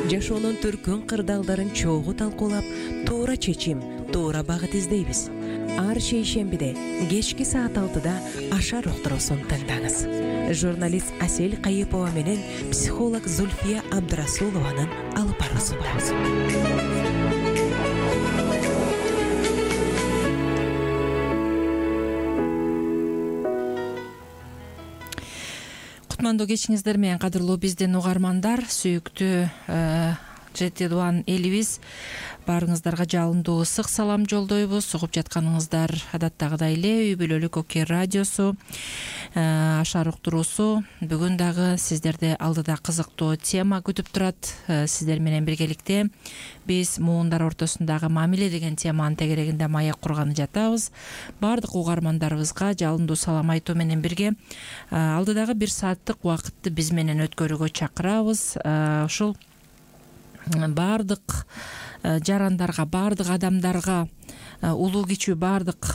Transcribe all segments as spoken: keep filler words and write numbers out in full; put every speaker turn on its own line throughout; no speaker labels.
жашоонун түркүн кырдаалдарын чогуу талкуулап, туура чечим, туура багыт издейбиз. Ар шейшембиде кечки саат алтыда Ашар уктуруусун тыңдаңыз. Журналист Асель Кайыпова менен психолог Зульфия Абдрасулованын алып баруусу.
Кутмандуу кечиңиздер менен кадырлуу биздин угармандар, сүйүктүү жети дуан элибиз, баарыңыздарга жалындуу ысык салам жолдойбуз. Угуп жатканыңыздар адаттагыдай эле үй бүлөлүк Оке радиосу, Ашар уктуруусу. Бүгүн дагы сиздерди алдыда кызыктуу тема күтүп турат. Сиздер менен биргеликте биз муундар ортосундагы мамиле деген теманын тегерегинде маек курганы жатабыз. Баардык угармандарыбызга жалындуу салам айтуу менен бирге алдыдагы бир сааттык убакытты биз менен өткөрүүгө чакырабыз. Ушул баардык жарандарга, баардык адамдарга, улуу кичүү баардык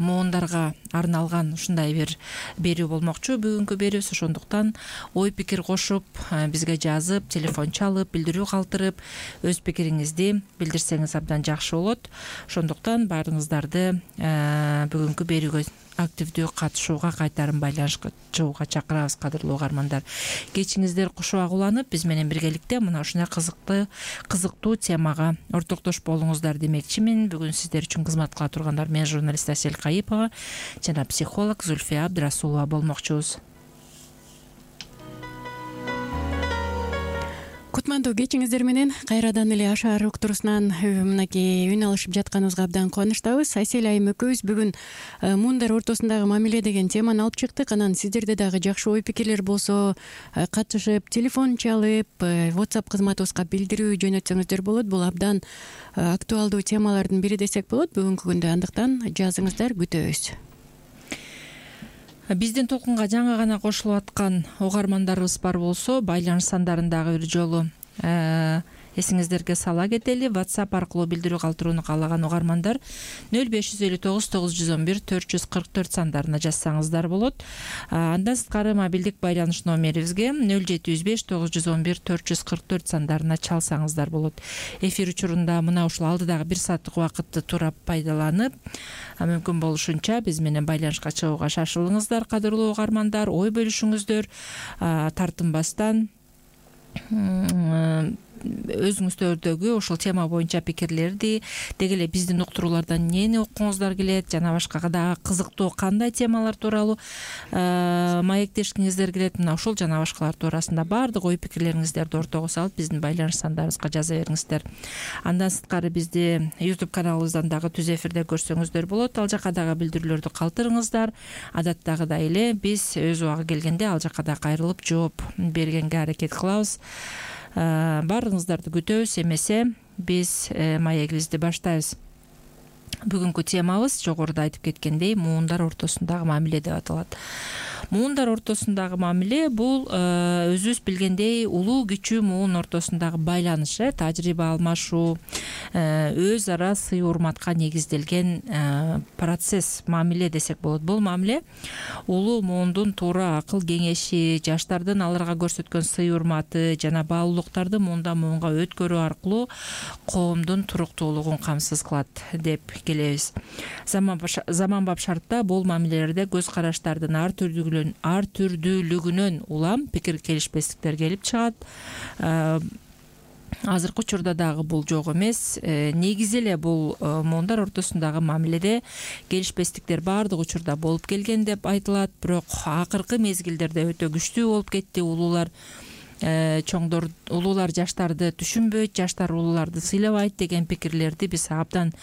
муундарга арналган ушундай бир берүү болмокчу бүгүнкү берүүбүз. Ошондуктан ой пикир кошуп, бизге жазып, телефон чалып, билдирүү калтырып, өз пикириңизди билдирсеңиз абдан жакшы болот. Ошондуктан баарыңыздарды бүгүнкү берүүгө активдүү катышууга, кайтарым байланышка чыгууга чакырабыз, кадырлуу угармандар. Кечиңиздер кушубак уланып, биз менен биргеликте мына ушундай кызыктуу кызыктуу темага ортоктош болуңуздар демекчимин. Бүгүн сиздер үчүн кызмат кыла тургандар мен журналист Асель Кайыпова жана психолог Зульфия Абдрасулова болмокчубуз.
Кутмандуу кечиңиздер менен кайрадан эле Ашар уктуруусунан мынакей үн алышып жатканыбызга абдан кубанычтабыз. Асель айым экөөбүз бүгүн муундар ортосундагы мамиле деген теманы алып чыктык. Анан сиздерде дагы жакшы ой пикирлер болсо, катышып, телефон чалып, WhatsApp кызматыбызга билдирүү жөнөтсөңүздөр болот. Бул абдан актуалдуу темалардын бири десек болот бүгүнкү күндө. Андыктан жазыңыздар, күтөбүз.
Биздин толкунга жаңы гана кошулуп аткан угармандарыбыз бар болсо, байланыш сандарындагы бир жолу эсиңиздерге сала кетели. WhatsApp аркылуу билдирүү калтырууну каалаган угармандар нөл беш жүз элүү тогуз тогуз жүз он бир төрт жүз кырк төрт сандарына жазсаңыздар болот. Андан сырткары мобилдик байланыш номерибизге нөл жети жүз беш тогуз жүз он бир төрт жүз кырк төрт сандарына чалсаңыздар болот. Эфир учурунда мына ушул алдыдагы бир сааттык убакытты туура пайдаланып, мүмкүн болушунча биз менен байланышка чыгууга шашылыңыздар, кадырлуу угармандар. Ой бөлүшүңүздөр, тартынбастан өзүңүздөрдөгү ушул тема боюнча пикирлерди, деги эле биздин уктуруулардан эмнени уккуңуздар келет, жана башка дагы кызыктуу кандай темалар тууралуу маектешкиңиздер келет, мына ушул жана башкалар туурасында баардык ой пикирлериңиздерди ортого салып биздин байланыш сандарыбызга жаза бериңиздер. Андан сырткары бизди YouTube каналыбыздан дагы түз эфирде көрсөңүздөр болот. Ал жака дагы билдирүүлөрдү калтырыңыздар. Адаттагыдай эле биз өз убагы келгенде ал жака да кайрылып жооп бергенге аракет кылабыз. Баарыңыздарды күтөбүз. Эмесе биз маегибизди баштайбыз. Бүгүнкү темабыз жогоруда айтып кеткендей муундар ортосундагы мамиле деп аталат. Муундар ортосундагы мамиле бул өзүбүз билгендей улуу кичүү муун ортосундагы байланыш, тажрыйба алмашуу, өз ара сый урматка негизделген процесс, мамиле десек болот. Бул мамиле улуу муундун туура акыл кеңеши, жаштардын аларга көрсөткөн сый урматы жана баалуулуктарды муундан муунга өткөрүү аркылуу коомдун туруктуулугун камсыз кылат деп келебиз. Заманбап шартта бул мамилелерде көз караштардын ар түрдүү ар түрдүүлүгүнөн улам пикир келишпестиктер келип чыгат. Азыркы учурда дагы бул жок эмес. Негизи эле бул муундар ортосундагы мамиледе келишпестиктер баардык учурда болуп келген деп айтылат. Бирок акыркы мезгилдерде өтө күчтүү болуп кетти. Улуулар чоңдор, улуулар жаштарды түшүнбөйт, жаштар улууларды сыйлабайт деген пикирлерди биз абдан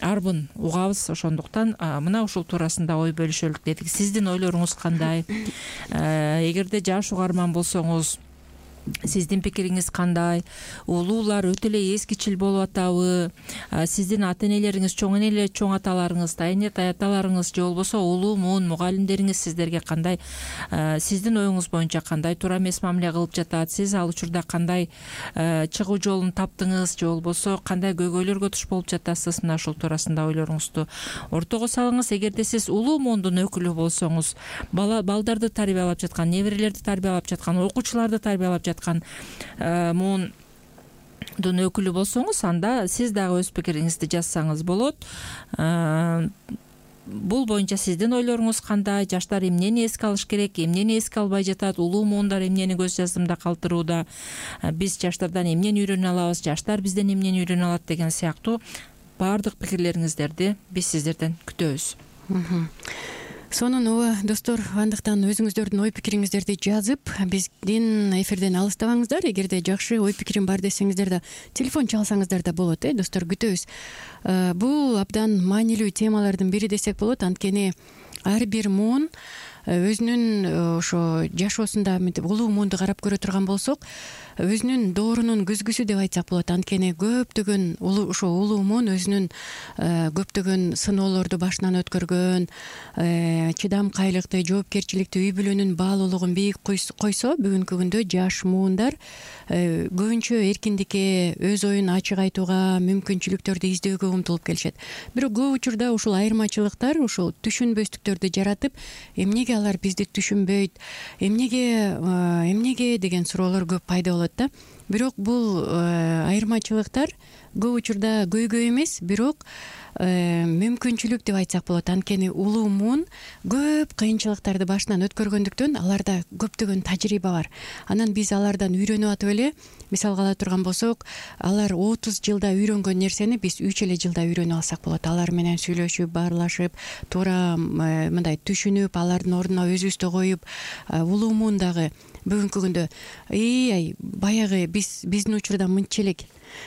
арбын угабыз. Ошондуктан мына ушул туурасында ой бөлүшөлүк дедик. Сиздин ойлоруңуз кандай? Эгерде жаш угарман болсоңуз, сиздин пикириңиз кандай? Улуулар өтө эле эскичил болуп атабы? Сиздин ата-энелериңиз, чоң энелер, чоң аталарыңыз, тайне таяталарыңыз же болбосо улуу муун мугалимдериңиз сиздерге кандай, сиздин оюңуз боюнча кандай туура эмес мамиле кылып жатат? Сиз ал учурда кандай чыгуу жолун таптыңыз же болбосо кандай көйгөйлөргө туш болуп жатасыз? Мына ушул туурасында ойлоруңузду ортого салыңыз. Эгерде сиз улуу муундун өкүлү болсоңуз, бала балдарды тарбиялап жаткан, неберелерди тарбиялап жаткан, окуучуларды тарбиялап жаткан муун өкүлү болсоңуз, анда сиз дагы өз пикириңизди жазсаңыз болот. Бул боюнча сиздин ойлоруңуз кандай? Жаштар эмнени эске алыш керек, эмнени эске албай жатат? Улуу муундар эмнени көз жаздымда калтырууда? Биз жаштардан эмнени үйрөнө алабыз? Жаштар бизден эмнени үйрөнө алат деген сыяктуу баардык пикирлериңиздерди биз сиздерден күтөбүз.
Сонун ооба достор, андыктан өзүңүздөрдүн ой пикириңиздерди жазып, биздин эфирден алыстабаңыздар. Эгерде жакшы ой пикирим бар десеңиздер да телефон чалсаңыздар да болот, э достор, күтөбүз. Бул абдан маанилүү темалардын бири десек болот. Анткени ар бир муун өзүнүн ошо жашоосунда улуу муунду карап көрө турган болсок, өзүнүн доорунун күзгүсү деп айтсак болот. Анткени көптөгөн ошо улуу муун өзүнүн көптөгөн сыноолорду башынан өткөргөн, чыдамкайлыкты, жоопкерчиликти, үй бүлөнүн баалуулугун бийик койсо, бүгүнкү күндө жаш муундар көбүнчө эркиндикке, өз оюн ачык айтууга, мүмкүнчүлүктөрдү издөөгө умтулуп келишет. Бирок көп учурда ушул айырмачылыктар ушул түшүнбөстүктөрдү жаратып, эмнеге алар бизди түшүнбөйт, эмнеге эмнеге деген суроолор көп пайда болот да. Бирок бул айырмачылыктар көп учурда көйгөй эмес, бирок мүмкүнчүлүк деп айтсак болот. Анткени улуу муун көп кыйынчылыктарды башынан өткөргөндүктөн аларда көптөгөн тажрыйба бар. Анан биз алардан үйрөнүп атып эле, мисалга ала турган болсок, алар отуз жылда үйрөнгөн нерсени биз үч эле жылда үйрөнүп алсак болот. Алар менен сүйлөшүп, баарлашып, туура мындай түшүнүп, алардын ордуна өзүбүздү коюп, улуу муун дагы бүгүнкү күндө ай баягы биз биздин учурда мынча элек,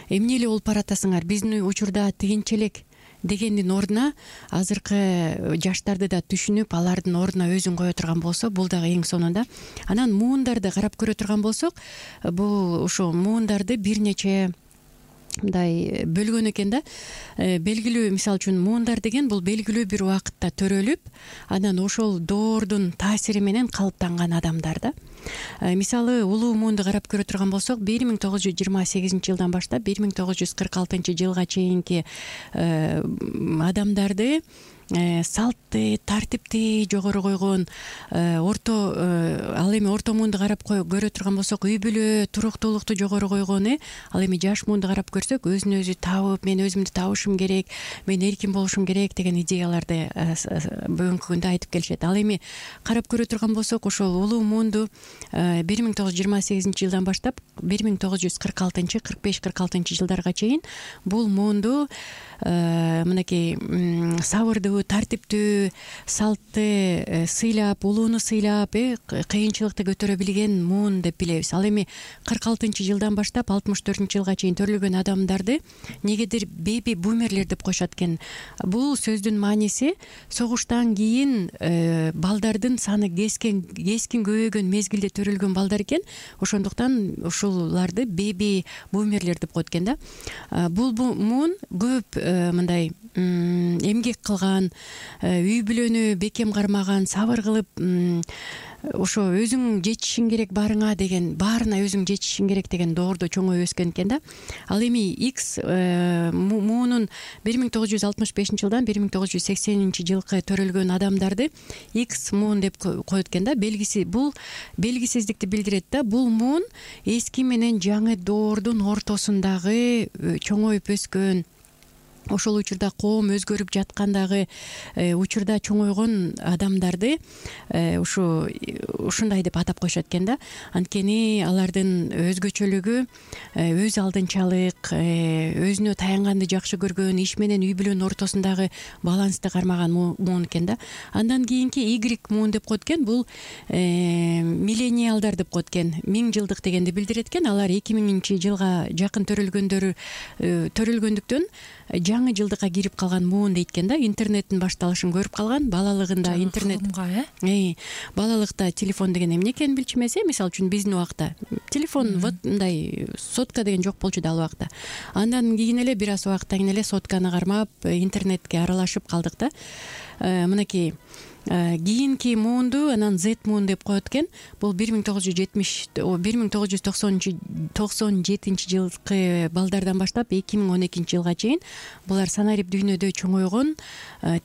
эмне эле болуп баратасыңар, биздин учурда тигинче элек дегендин ордуна азыркы жаштарды да түшүнүп, алардын ордуна өзүн кое турган болсо, бул дагы эң сонунда. Анан муундарды карап көрө турган болсок, бул ушул муундарды бир нече мындай бөлгөн экен да. Белгилүү, мисалы үчүн, муундар деген бул белгилүү бир убакытта төрөлүп, анан ошол доордун таасири менен калыптанган адамдар да. Мисалы, улуу муунду карап көрө турган болсок, бир миң тогуз жүз жыйырма сегизинчи жылдан баштап бир миң тогуз жүз кырк алтынчы жылга чейинки адамдарды салтты, тартипти жогору койгон, орто ал эми орто муунду карап көрө турган болсок, үй бүлө, туруктуулукту жогору койгон, э ал эми жаш муунду карап көрсөк, өзүн өзү табып, мен өзүмдү табышым керек, мен эркин болушум керек деген идеяларды бүгүнкү күндө айтып келишет. Ал эми карап көрө турган болсок, ошол улуу муунду бир миң тогуз жүз жыйырма сегизинчи жылдан баштап бир миң тогуз жүз кырк алтынчы кырк беш кырк алтынчы жылдарга чейин бул муунду мынакей сабырдуу, тартиптүү, салтты сыйлап, улууну сыйлап, э кыйынчылыкты көтөрө билген муун деп билебиз. Ал эми кырк алтынчы жылдан баштап алтымыш төртүнчү жылга чейин төрөлгөн адамдарды негедир беби бумерлер деп коюшат экен. Бул сөздүн мааниси согуштан кийин балдардын саны кескен кескин көбөйгөн мезгилде төрөлгөн балдар экен. Ошондуктан ушуларды беби бумерлер деп коет экен да. Бул муун көп мындай эмгек кылган, үй бүлөнү бекем кармаган, сабыр кылып, ошо өзүң жетишиң керек барыңа деген, баарына өзүң жетишиң керек деген доордо чоңоюп өскөн экен да. Ал эми X муунун бир миң тогуз жүз алтымыш бешинчи жылдан бир миң тогуз жүз сексенинчи жылкы төрөлгөн адамдарды X муун деп коет экен да. Белгиси бул белгисиздикти билдирет да. Бул муун эски менен жаңы доордун ортосундагы чоңоюп өскөн, ошол учурда коом өзгөрүп жаткандагы учурда чоңойгон адамдарды ушу ушундай деп атап коюшат экен да. Анткени алардын өзгөчөлүгү өз алдынчалык, өзүнө таянганды жакшы көргөн, иш менен үй бүлөнүн ортосундагы балансты кармаган муун экен да. Андан кийинки Y муун деп коет экен. Бул миллениалдар деп коет экен. Миң жылдык дегенди билдирет экен. Алар эки миңинчи жылга жакын төрөлгөндөр төрөлгөндүктөн жаңы жылдыкка кирип калган муун дейт экен да. Интернеттин башталышын көрүп калган, балалыгында интернет, э балалыкта телефон деген эмне экенин билчү эмес. Э мисалы үчүн биздин убакта телефон вот мындай сотка деген жок болчу да ал убакта. Андан кийин эле бир аз убакыттан кийин эле сотканы кармап, интернетке аралашып калдык да. Мынакей кийинки муунду анан Z муун деп коет экен. Бул бир миң тогуз жүз жетимиш бир миң тогуз жүз токсон жетинчи жылкы балдардан баштап эки миң он экинчи жылга чейин булар санарип дүйнөдө чоңойгон,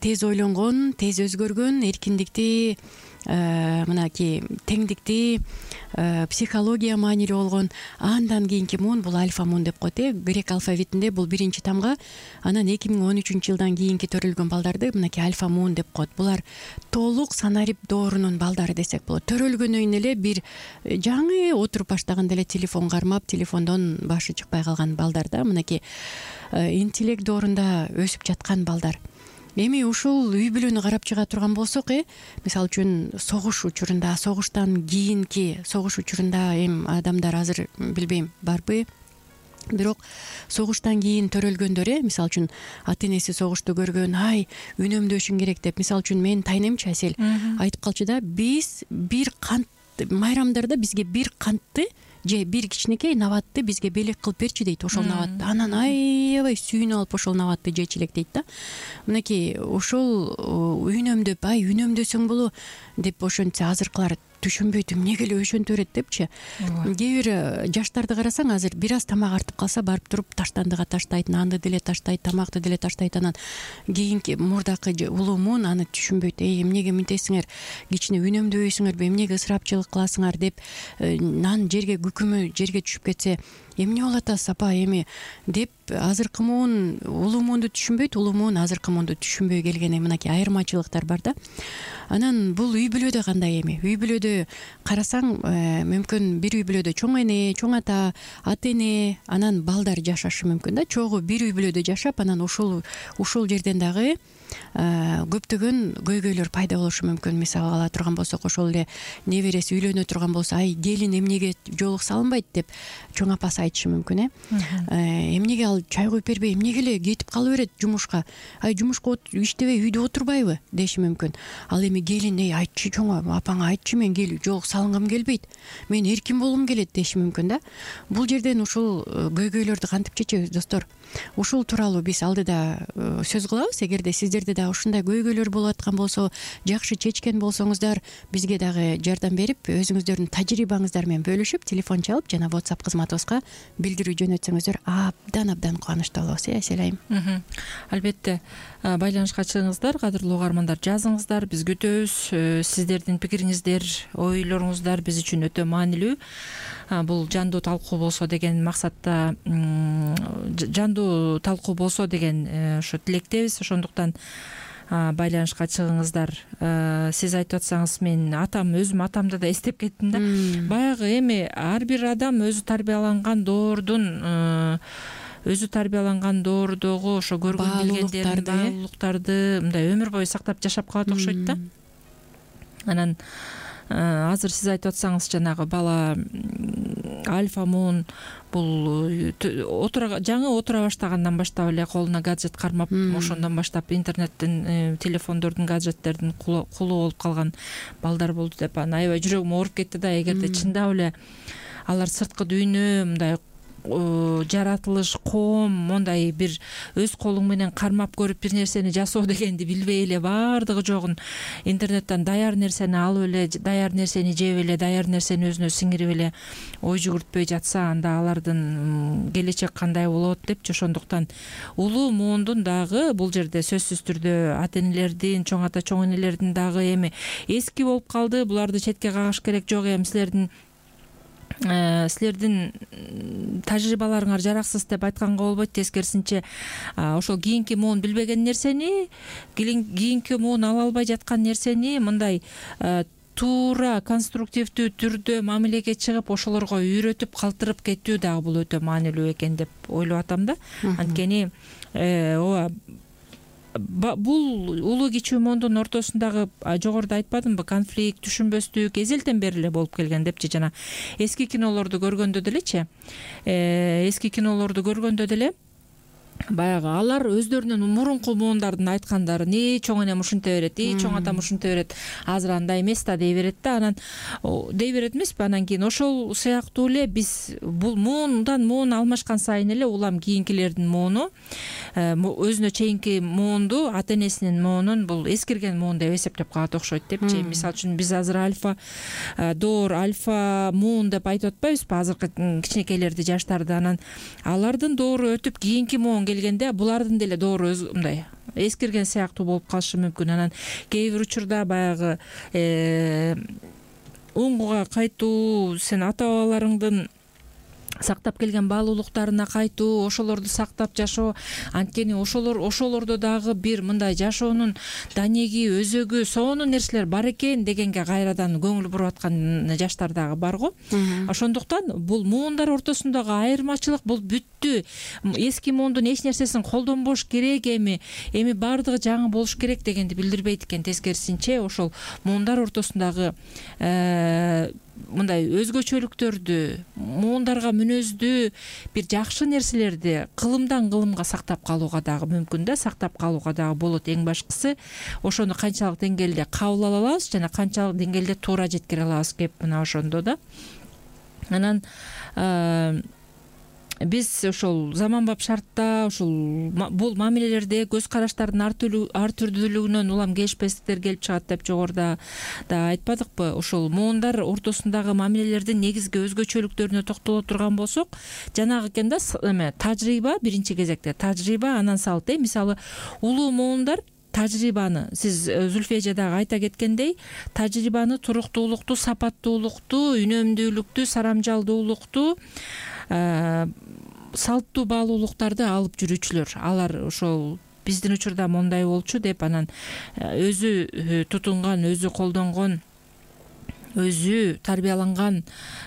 тез ойлонгон, тез өзгөргөн, эркиндикти мынакей теңдикти психология маанилүү болгон андан кийинки муун бул альфа муун деп коет э грек алфавитинде бул биринчи тамга, анан эки миң он үчүнчү жылдан кийинки төрөлгөн балдарды мынакей альфа муун деп коет. Булар толук санарип доорунун балдары десек болот. Төрөлгөндөн эле бир жаңы отуруп баштаганда эле телефон кармап, телефондон башы чыкпай калган балдар да, мынакей интеллект доорунда өсүп жаткан балдар. Эми ушул үй бүлөнү карап чыга турган болсок, э мисалы үчүн согуш учурунда, согуштан кийинки согуш учурунда эми адамдар азыр билбейм барбы, бирок согуштан кийин төрөлгөндөр, э мисалы үчүн ата энеси согушту көргөн, ай үнөмдөшүң керек деп, мисалы үчүн менин тайнемчи Асель айтып калчу да, биз бир кант майрамдарда бизге бир кантты же бир кичинекей набатты бизге белек кылып берчи дейт, ошол набатты. Анан аябай сүйүнүп алып ошол набатты жечү элек дейт да. Мынакей ошол үнөмдөп, ай үнөмдөсөң боло деп ошентсе азыркылар түшүнбөйт, эмнеге эле ошентип берет депчи. Кээ бир жаштарды карасаң, азыр бир аз тамак артып калса барып туруп таштандыга таштайт, нанды деле таштайт, тамакты деле таштайт. Анан кийинки мурдакы улуу муун аны түшүнбөйт. Эй, эмнеге мынтесиңер, кичине үнөмдөбөйсүңөрбү, эмнеге ысырапчылык кыласыңар деп, нан жерге күкүмү жерге түшүп кетсе эмне болот апа эми деп азыркы муун улуу муунду түшүнбөйт, улуу муун азыркы муунду түшүнбөй келген. Мынакей айырмачылыктар бар да. Анан бул үй бүлөдө кандай? Эми үй бүлөдө карасаң, мүмкүн бир үй бүлөдө чоң эне, чоң ата, ата эне, анан балдар жашашы мүмкүн да. Чогуу бир үй бүлөдө жашап, анан ушул ушул жерден дагы көптөгөн көйгөйлөр пайда болушу мүмкүн. Мисалы ала турган болсок, ошол эле небереси үйлөнө турган болсо, ай келин эмнеге жоолук салынбайт деп чоң апасы айтышы мүмкүн, э эмнеге ал чай куюп бербей, эмнеге эле кетип кала берет жумушка, ай жумушка иштебей үйдө отурбайбы деши мүмкүн. Ал эми келин, эй айтчы чоң апаңа, айтчы мен кел жоолук салынгым келбейт, мен эркин болгум келет деши мүмкүн да. Бул жерден ушул көйгөйлөрдү кантип чечебиз, достор? Ушул тууралуу биз алдыда сөз кылабыз. Эгерде сиздерде да ушундай көйгөйлөр болуп аткан болсо, жакшы чечкен болсоңуздар, бизге дагы жардам берип, өзүңүздөрдүн тажрыйбаңыздар менен бөлүшүп, телефон чалып жана WhatsApp кызматыбызга билдирүү жөнөтсөңүздөр абдан абдан кубанычтуу болобуз, э Асель айым.
Албетте байланышка чыгыңыздар, кадырлуу угармандар, жазыңыздар, биз күтөбүз. Сиздердин пикириңиздер, ойлоруңуздар биз үчүн өтө маанилүү. Бул жандуу талкуу болсо деген максатта, жандуу талкуу болсо деген ошо тилектебиз. Ошондуктан байланышка чыгыңыздар. Сиз айтып атсаңыз, мен атам, өзүм атамды да эстеп кеттим да. Баягы эми ар бир адам өзү тарбияланган доордун өзү тарбияланган доордогу ошо көргөн билгендерин, баалуулуктарды мындай өмүр бою сактап жашап калат окшойт да. Анан азыр сиз айтып атсаңыз, жанагы бала альфа муун бул жаңы отура баштагандан баштап эле колуна гаджет кармап, ошондон баштап интернеттин, телефондордун, гаджеттердин кулу болуп калган балдар болду деп анан аябай жүрөгүм ооруп кетти да. Эгерде чындап эле алар сырткы дүйнө, мындай жаратылыш, коом, мондай бир өз колуң менен кармап көрүп бир нерсени жасоо дегенди билбей эле, баардыгы жогун интернеттен даяр нерсени алып эле, даяр нерсени жеп эле, даяр нерсени өзүнө сиңирип эле ой жүгүртпөй жатса, анда алардын келечек кандай болот депчи. Ошондуктан улуу муундун дагы бул жерде сөзсүз түрдө ата энелердин, чоң ата, чоң энелердин дагы эми эски болуп калды, буларды четке кагыш керек жок. Эми силердин силердин тажрыйбаларыңар жараксыз деп айтканга болбойт. Тескерисинче, ошол кийинки муун билбеген нерсени, кийинки муун ала албай жаткан нерсени мындай туура, конструктивдүү түрдө мамилеге чыгып, ошолорго үйрөтүп, калтырып кетүү дагы бул өтө маанилүү экен деп ойлоп атам да. Анткени ооба, бул улуу кичүү муундун ортосундагы, жогоруда айтпадымбы, конфликт, түшүнбөстүк эзелтен бери эле болуп келген депчи. Жана эски кинолорду көргөндө делечи, эски кинолорду көргөндө деле баягы алар өздөрүнүн мурунку муундардын айткандарын, и чоң энем ушинте берет, и чоң атам ушинте берет, азыр андай эмес да дей берет да. Анан дей берет эмеспи, анан кийин ошол сыяктуу эле биз бул муундан муун алмашкан сайын эле улам кийинкилердин мууну, өзүнө чейинки муунду, ата энесинин муунун бул эскирген муун деп эсептеп калат окшойт депчи. Мисалы үчүн биз азыр альфа доор, альфа муун деп айтып атпайбызбы азыркы кичинекейлерди, жаштарды. Анан алардын доору өтүп кийинки муун келгенде булардын деле доору мындай эскирген сыяктуу болуп калышы мүмкүн. Анан кээ бир учурда баягы уңгуга кайтуу, сен ата бабаларыңдын сактап келген баалуулуктарына кайтуу, ошолорду сактап жашоо, анткени ошолор ошолордо дагы бир мындай жашоонун данеги, өзөгү, сонун нерселер бар экен дегенге кайрадан көңүл буруп аткан жаштар дагы барго. Ошондуктан бул муундар ортосундагы айырмачылык бул бүттү. Эски муундун эч нерсесин колдонбош керек, эми эми баардыгы жаңы болуш керек дегенди билдирбейт экен. Тескерисинче, ошол муундар ортосундагы мындай өзгөчөлүктөрдү, муундарга мүнөздүү бир жакшы нерселерди кылымдан кылымга сактап калууга дагы мүмкүн да, сактап калууга дагы болот. Эң башкысы ошону канчалык деңгээлде кабыл ала алабыз жана канчалык деңгээлде туура жеткире алабыз кеп мына ошондо да. Анан биз ошол заманбап шартта ошол бул мамилелерде көз караштардын ар түрдүүлүгүнөн улам келишпестиктер келип чыгат деп жогоруда да айтпадыкпы? Ошол муундар ортосундагы мамилелердин негизги өзгөчөлүктөрүнө токтоло турган болсок, жанагы экен да, эме тажрыйба, биринчи кезекте тажрыйба, анан салт. Мисалы, улуу муундар тажрыйбаны, сиз Зүлфия эже дагы айта кеткендей, тажрыйбаны туруктуулукту, сапаттуулукту, үнөмдүүлүктү, сарамжалдуулукту, салттуу баалуулуктарды алып жүрүүчүлөр. Алар ошол биздин учурда мондай болчу деп анан өзү тутунган, өзү колдонгон, өзү тарбияланган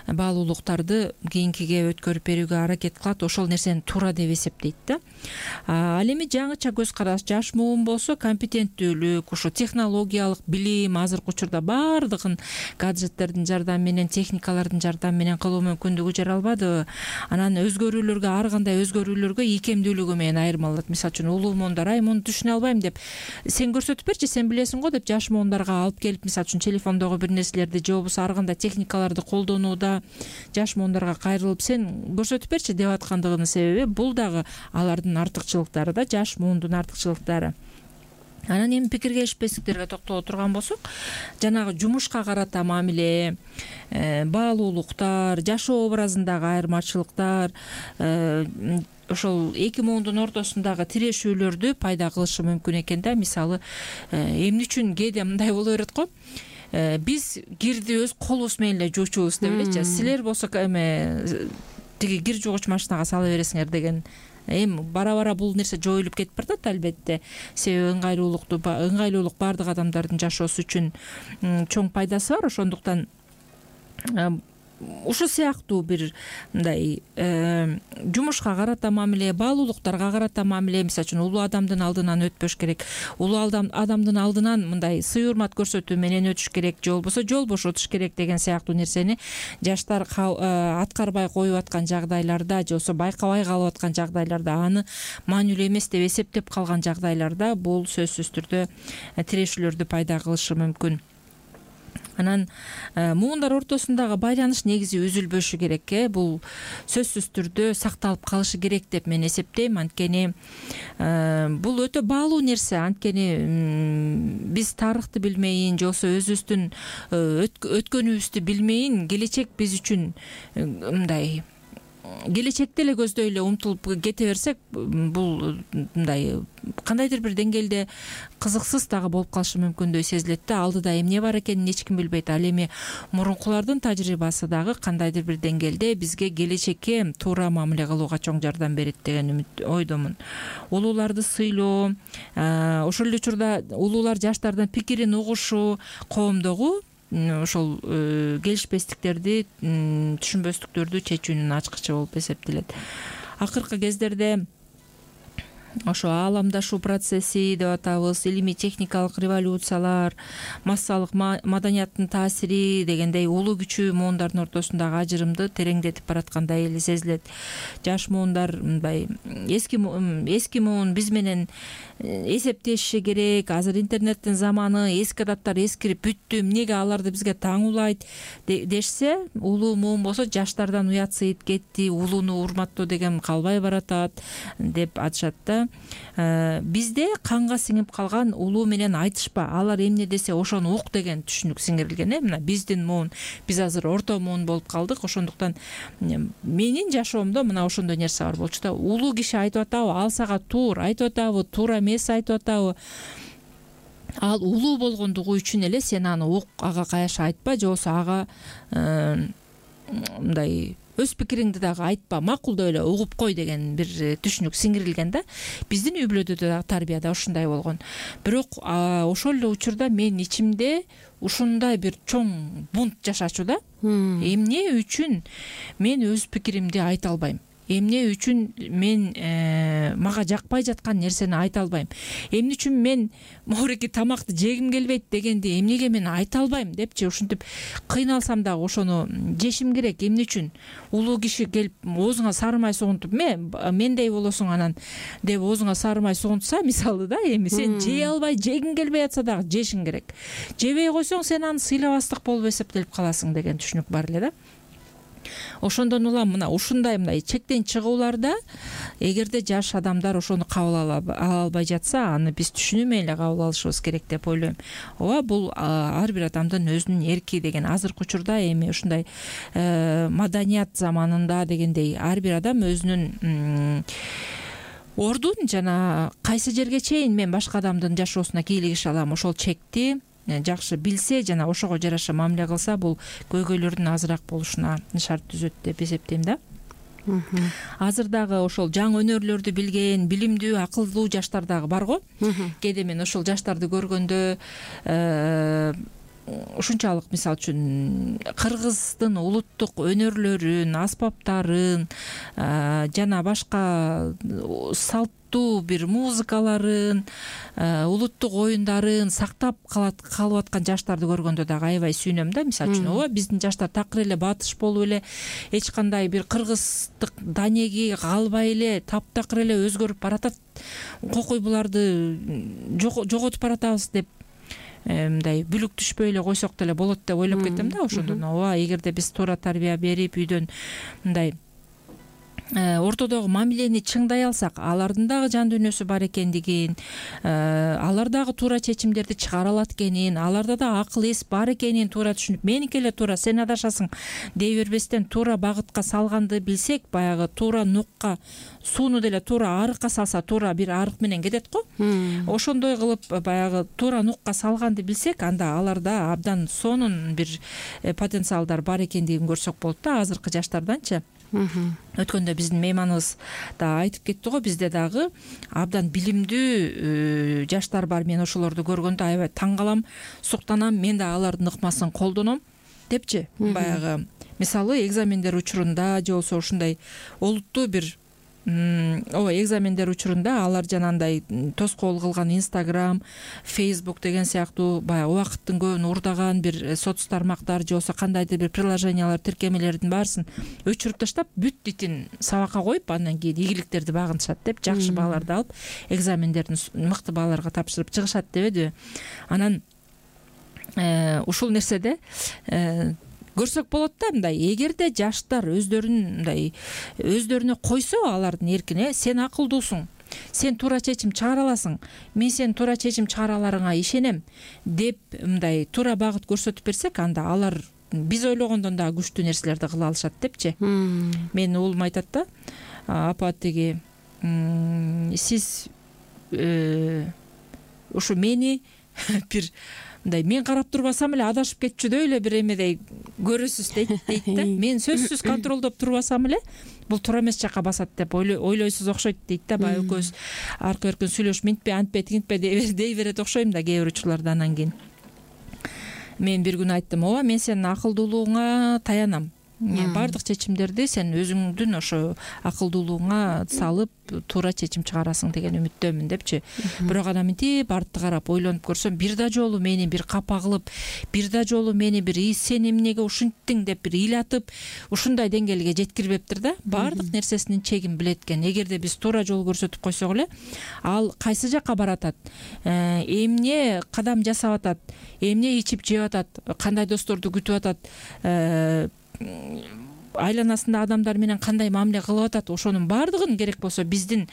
баалуулуктарды кийинкиге өткөрүп берүүгө аракет кылат. Ошол нерсени туура деп эсептейт да. Ал эми жаңыча көз караш, жаш муун болсо компетенттүүлүк, ошо технологиялык билим азыркы учурда баардыгын гаджеттердин жардамы менен, техникалардын жардамы менен кылуу мүмкүндүгү жаралбадыбы? Анан өзгөрүүлөргө, ар кандай өзгөрүүлөргө ийкемдүүлүгү менен айырмалат. Мисалы үчүн улуу муундар, ай муну түшүнө албайм деп, сен көрсөтүп берчи, сен билесиң го деп жаш муундарга алып келип, мисалы үчүн телефондогу бир нерселерди же болбосо ар кандай техникаларды колдонууда жаш муундарга кайрылып, сен көрсөтүп берчи деп аткандыгынын себеби бул дагы алардын артыкчылыктары да, жаш муундун артыкчылыктары. Анан эми пикир келишпестиктерге токтоло турган болсок, жанагы жумушка карата мамиле, баалуулуктар, жашоо образындагы айырмачылыктар, ошол эки муундун ортосундагы тирешүүлөрдү пайда кылышы мүмкүн экен да. Мисалы, эмне үчүн кээде мындай боло берет го, биз кирди өз колубуз менен эле жуучубуз деп элечи, силер болсо эме тиги кир жуугуч машинага сала бересиңер деген. Эми бара-бара бул нерсе жоюлуп кетип бартат албетте. Себеби ыңгайлуулукту, ыңгайлуулук бардык адамдардын жашоосу үчүн чоң пайдасы бар. Ошондуктан ушул сыяктуу бир мындай жумушка карата мамиле, баалуулуктарга карата мамиле, мисалы үчүн улуу адамдын алдынан өтпөш керек, улуу адамдын алдынан мындай сый урмат көрсөтүү менен өтүш керек, же болбосо жол бошотуш керек деген сыяктуу нерсени жаштар аткарбай коюп аткан жагдайларда, же болбосо байкабай калып аткан жагдайларда, аны маанилүү эмес деп эсептеп калган жагдайларда бул сөзсүз түрдө тирешүүлөрдү пайда кылышы мүмкүн. Анан муундар ортосундагы байланыш негизи үзүлбөшү керек. Бул сөзсүз түрдө сакталып калышы керек деп мен эсептейм. Анткени бул өтө баалуу нерсе. Анткени биз тарыхты билмейин, же болбосо өзүбүздүн өткөнүбүздү билмейин, келечек биз үчүн мындай келечекте эле көздөй эле умтулуп кете берсек, бул мындай кандайдыр бир деңгээлде кызыксыз дагы болуп калышы мүмкүндөй сезилет да. Алдыда эмне бар экенин эч ким билбейт. Ал эми мурункулардын тажрыйбасы дагы кандайдыр бир деңгээлде бизге келечекке туура мамиле кылууга чоң жардам берет деген үмүт ойдомун. Улууларды сыйлоо, ошол эле учурда улуулар жаштардын пикирин угушу, коомдогу ошол келишпестиктерди, түшүнбөстүктөрдү чечүүнүн ачкычы болуп эсептелет. Акыркы кездерде ошо ааламдашуу процесси деп атабыз, илимий техникалык революциялар, массалык маданияттын таасири дегендей улуу күчүү муундардын ортосундагы ажырымды тереңдетип бараткандай эле сезилет. Жаш муундар мындай эски эски муун биз менен эсептешиши керек. Азыр интернеттин заманы, эски адаттар эскирип бүттү, эмнеге аларды бизге таңуулайт дешсе, улуу муун болсо жаштардан уят сыйыт кетти, улууну урматтоо деген калбай баратат деп айтышат да. бизде канга сиңип калган улуу менен айтышпа, алар эмне десе ошону ук деген түшүнүк сиңирилген э мына биздин муун, биз азыр орто муун болуп калдык. Ошондуктан менин жашоомдо мына ошондой нерсе бар болчу да. Улуу киши айтып атабы, ал сага туура айтып атабы, туура эмес айтып атабы, ал улуу болгондугу үчүн эле сен аны ук, ага каяша айтпа, же болбосо ага мындай өз пикириңди дагы айтпа, макулдап эле угуп кой деген бир түшүнүк сиңирилген да. Биздин үй бүлөдө дагы тарбияда ушундай болгон. Бирок ошол эле учурда мен ичимде ушундай бир чоң бунт жашачу да. Эмне үчүн мен өз пикиримди айта албайм? Эмне үчүн мен мага жакпай жаткан нерсени айта албайм? Эмне үчүн мен моореки тамакты жегим келбейт дегенди эмнеге мен айта албайм депчи, ушинтип кыйналсам дагы ошону жешим керек. Эмне үчүн улуу киши келип оозуңа сары май сугунтуп, мен мендей болосуң анан деп оозуңа сары май сугунтса, мисалы да, эми сен жей албай, жегиң келбей атса дагы жешиң керек. Жебей койсоң сен аны сыйлабастык болуп эсептелип каласың деген түшүнүк бар эле да. Ошондон улам мына ушундай мындай чектен чыгууларда эгерде жаш адамдар ошону кабыл ала албай жатса, аны биз түшүнүү эле кабыл алышыбыз керек деп ойлойм. Ооба, бул ар бир адамдын өзүнүн эрки деген. Азыркы учурда эми ушундай маданият заманында дегендей ар бир адам өзүнүн ордун жана кайсы жерге чейин мен башка адамдын жашоосуна кийлигише алам, ошол чекти жакшы билсе жана ошого жараша мамиле кылса, бул көйгөйлөрдүн азыраак болушуна шарт түзөт деп эсептейм да. Азыр дагы ошол жаңы өнөрлөрдү билген, билимдүү, акылдуу жаштар дагы бар го. Кээде мен ошол жаштарды көргөндө ушунчалык, мисалы үчүн, кыргыздын улуттук өнөрлөрүн, аспаптарын жана башка салттуу бир музыкаларын, улуттук оюндарын сактап калып аткан жаштарды көргөндө дагы аябай сүйүнөм да. Мисалы үчүн, ооба, биздин жаштар такыр эле батыш болуп эле, эч кандай бир кыргыздык данеги калбай эле таптакыр эле өзгөрүп баратат. Кокуй буларды жоготуп баратабыз деп мындай бүлүк түшпөй эле койсок деле болот деп ойлоп кетем да. Ошондон ооба, эгерде биз туура тарбия берип, үйдөн мындай ортодогу мамилени чыңдай алсак, алардын дагы жан дүйнөсү бар экендигин, алар дагы туура чечимдерди чыгара алат экенин, аларда да акыл эс бар экенин туура түшүнүп, меники эле туура, сен адашасың дей бербестен туура багытка салганды билсек, баягы туура нукка, сууну деле туура арыкка салса, туура бир арык менен кетет го. Ошондой кылып баягы туура нукка салганды билсек, анда аларда абдан сонун бир потенциалдар бар экендигин көрсөк болот да. Азыркы жаштарданчы. Өткөндө биздин мейманыбыз да айтып кетти го, бизде дагы абдан билимдүү жаштар бар. Мен ошолорду көргөндө аябай таң калам, суктанам, мен да алардын ыкмасын колдоном депчи. Баягы мисалы экзамендер учурунда же болбосо ушундай олуттуу бир ооба экзамендер учурунда алар жанагындай тоскоол кылган Instagram, Facebook деген сыяктуу баягы убакыттын көбүн урдаган бир соц тармактар же болбосо кандайдыр бир приложениялар, тиркемелердин баарысын өчүрүп таштап, бүт дитин сабакка коюп, андан кийин ийгиликтерди багынышат деп, жакшы бааларды алып, экзамендерин мыкты бааларга тапшырып чыгышат дебеди. Анан ушул нерседе көрсөк болот да, мындай эгерде жаштар өздөрүн мындай өздөрүнө койсо алардын эркине, сен акылдуусуң, сен туура чечим чыгара аласың, мен сен туура чечим чыгараларыңа ишенем деп мындай туура багыт көрсөтүп берсек, анда алар биз ойлогондон дагы күчтүү нерселерди кыла алышат депчи. Менин уулум айтат да, апа тиги сиз ушу мени бир мындай мен карап турбасам эле адашып кетчүдөй эле бир эмедей көрөсүз дейт дейт да. Мен сөзсүз контролдоп турбасам эле бул туура эмес жакка басат деп ойлойсуз окшойт дейт да. Баягы экөөбүз аркы эркин сүйлөшүп, минтпе, антпе, тигинтпе дей берет окшойм да кээ бир учурларда. Анан кийин мен бир күнү айттым, ооба, мен сенин акылдуулугуңа таянам. Бардык чечимдерди сен өзүңдүн ошо акылдуулугуңа салып туура чечим чыгарасың деген үмүттөмүн депчи. Бирок анан мынтип артты карап ойлонуп көрсөм, бир да жолу мени бир капа кылып, бир да жолу мени бир сен эмнеге ушинттиң деп бир ыйлатып, ушундай деңгээлге жеткирбептир да. Бардык нерсесинин чегин билет экен. Эгерде биз туура жол көрсөтүп койсок эле, ал кайсы жакка баратат, эмне кадам жасап атат, эмне ичип жеп атат, кандай досторду күтүп атат, айланасындагы адамдар менен кандай мамиле кылып атат, ошонун баардыгын керек болсо биздин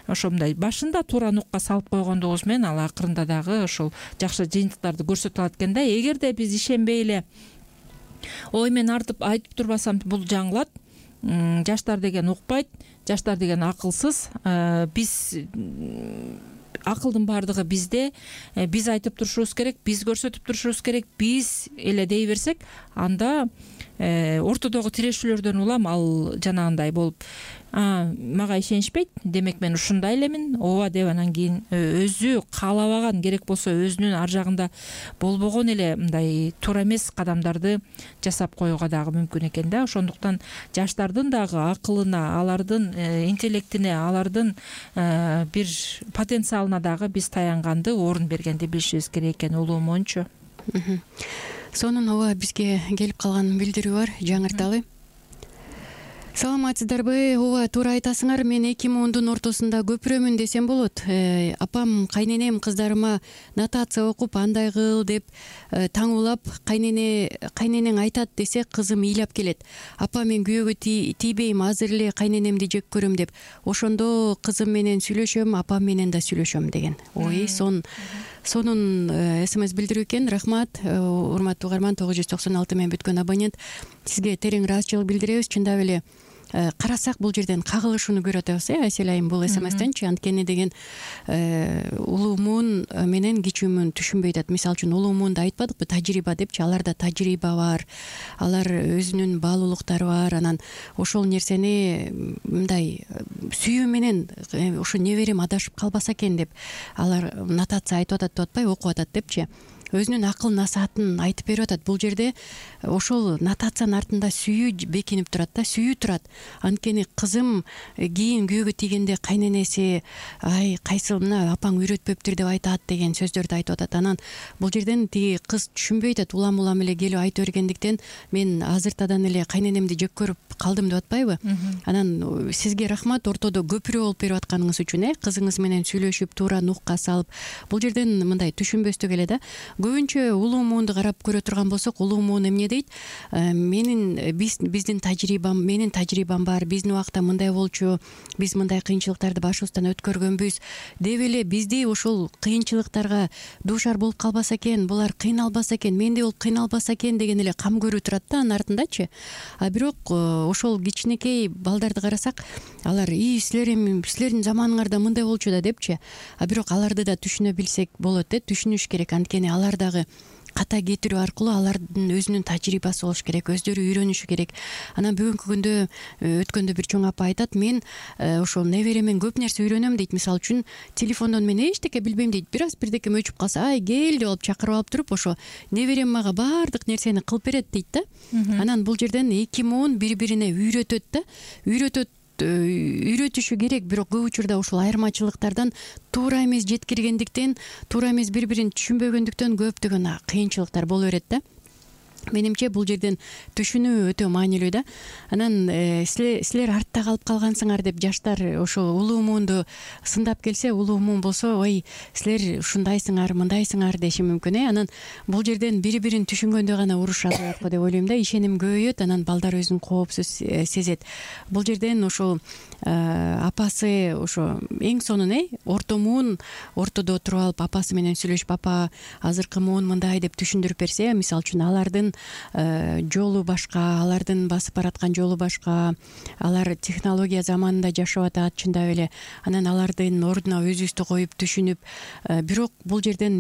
ошо мындай башында туура нукка салып койгондугубуз менен ал акырында дагы ошол жакшы жыйынтыктарды көрсөтүп алат экен да. Эгерде биз ишенбей эле ой мен артып айтып турбасам бул жаңылат, жаштар деген укпайт, жаштар деген акылсыз, биз акылдын баардыгы бизде, биз айтып турушубуз керек, биз көрсөтүп турушубуз керек, биз эле дей берсек, анда ортодогу тирешүүлөрдөн улам ал жанагындай болуп, мага ишенишпейт, демек мен ушундай элемин, ооба деп анан кийин өзү каалабаган, керек болсо өзүнүн ар жагында болбогон эле мындай туура эмес кадамдарды жасап коюуга дагы мүмкүн экен да. Ошондуктан жаштардын дагы акылына, алардын интеллектине, алардын бир потенциалына дагы биз таянганды, орун бергенди билишибиз керек экен, улуу моунчу.
Сонун ооба бизге келип калган билдирүү бар, жаңырталы. Саламатсыздарбы? Ооба, туура айтасыңар. Мен эки мундун ортосунда көпүрөмүн десем болот. Апам, кайненем кыздарыма нотация окуп, андай кыл деп таңуулап, кайнене кайненең айтат десе, кызым ыйлап келет. Апа, мен күйөөгө тийбейм, азыр эле кайненемди жек көрөм деп. Ошондо кызым менен сүйлөшөм, апам менен да сүйлөшөм деген. Ой, сон сонун смс билдирүү экен. Рахмат, урматтуу угарман, тогуз жүз токсон алты менен бүткөн абонент. Сизге терең ыраазычылык билдиребиз. Чындап эле карасак бул жерден кагылышууну көрүп атабыз, э Айсель айым, бул смстенчи. Анткени деген улуумун менен кичүүмүн түшүнбөй атат. Мисалы үчүн улуумунду айтпадыкпы, тажрыйба депчи. Аларда тажрыйба бар, алар өзүнүн баалуулуктары бар. Анан ошол нерсени мындай сүйүү менен ушу неберем адашып калбаса экен деп алар нотация айтып атат деп атпай, окуп атат депчи. Өзүнүн акыл насаатын айтып берип атат. Бул жерде ошол нотациянын артында сүйүү бекинип турат да, сүйүү турат. Анткени кызым кийин күйөөгө тийгенде кайненеси ай кайсыл мына апаң үйрөтпөптүр деп айтат деген сөздөрдү айтып атат. Анан бул жерден тиги кыз түшүнбөй атат, улам улам эле келип айтып бергендиктен мен азыртадан эле кайненемди жек көрүп калдым деп атпайбы? Анан сизге рахмат, ортодо көпүрө болуп берип атканыңыз үчүн, э кызыңыз менен сүйлөшүп, туура нукка салып. Бул жерден мындай түшүнбөстүк эле да. Көбүнчө улуу муунду карап көрө турган болсок, улуу муун эмне дейт? Менин биз биздин тажрыйбам, менин тажрыйбам бар, биздин убакта мындай болчу, биз мындай кыйынчылыктарды башыбыздан өткөргөнбүз деп эле бизди ошол кыйынчылыктарга дуушар болуп калбаса экен, булар кыйналбаса экен, мендей болуп кыйналбаса экен деген эле кам көрүү турат да анын артындачы. А бирок ошол кичинекей балдарды карасак, алар и силер эми силердин заманыңарда мындай болчу да депчи. А бирок аларды да түшүнө билсек болот, э түшүнүш керек. Анткени алар дагы ката кетирүү аркылуу алардын өзүнүн тажрыйбасы болуш керек, өздөрү үйрөнүшү керек. Анан бүгүнкү күндө өткөндө бир чоң апа айтат, мен ошол неберемен көп нерсе үйрөнөм дейт. Мисалы үчүн телефондон мен эчтеке билбейм дейт. Бир аз бирдеке өчүп калса, ай кел деп алып чакырып алып туруп, ошо неберем мага баардык нерсени кылып берет дейт да. Анан бул жерден эки муун бири-бирине үйрөтөт да, үйрөтөт үйрөтүшү керек. Бирок көп учурда ушул айырмачылыктардан туура эмес жеткиргендиктен, туура эмес бири-бирин түшүнбөгөндүктөн көптөгөн кыйынчылыктар боло берет да. Менимче бул жерден түшүнүү өтө маанилүү да. Анан силер артта калып калгансыңар деп жаштар ошо улуу муунду сындап келсе, улуу муун болсо, ой силер ушундайсыңар, мындайсыңар деши мүмкүн, э анан бул жерден бири-бирин түшүнгөндө гана уруш азаят го деп ойлойм да. Ишеним көбөйөт, анан балдар өзүн коопсуз сезет. Бул жерден ошол апасы ошо эң сонун, э орто муун ортодо туруп алып апасы менен сүйлөшүп, апа азыркы муун мындай деп түшүндүрүп берсе, мисалы үчүн алардын жолу башка, алардын басып бараткан жолу башка, алар технология заманында жашап атат чындап эле. Анан алардын ордуна өзүбүздү коюп түшүнүп, бирок бул жерден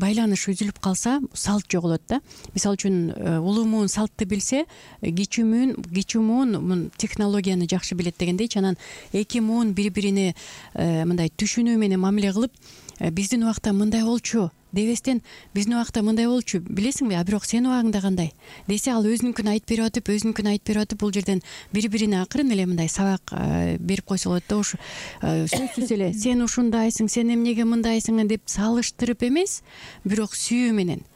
байланыш үзүлүп калса, салт жоголот да. Мисалы үчүн улуу муун салтты билсе, кичүү муун кичүү муун технологияны жакшы билет дегендейчи. Анан эки муун бири-бирине мындай түшүнүү менен мамиле кылып, биздин убакта мындай болчу дебестен, биздин убакта мындай болчу, билесиңби, а бирок сенин убагыңда кандай десе, ал өзүнүкүн айтып берип атып, өзүнүкүн айтып берип атып, бул жерден бири-бирине акырын эле мындай сабак берип койсо болот да. Ушу сөзсүз эле сен ушундайсың, сен эмнеге мындайсың деп салыштырып эмес, бирок сүйүү менен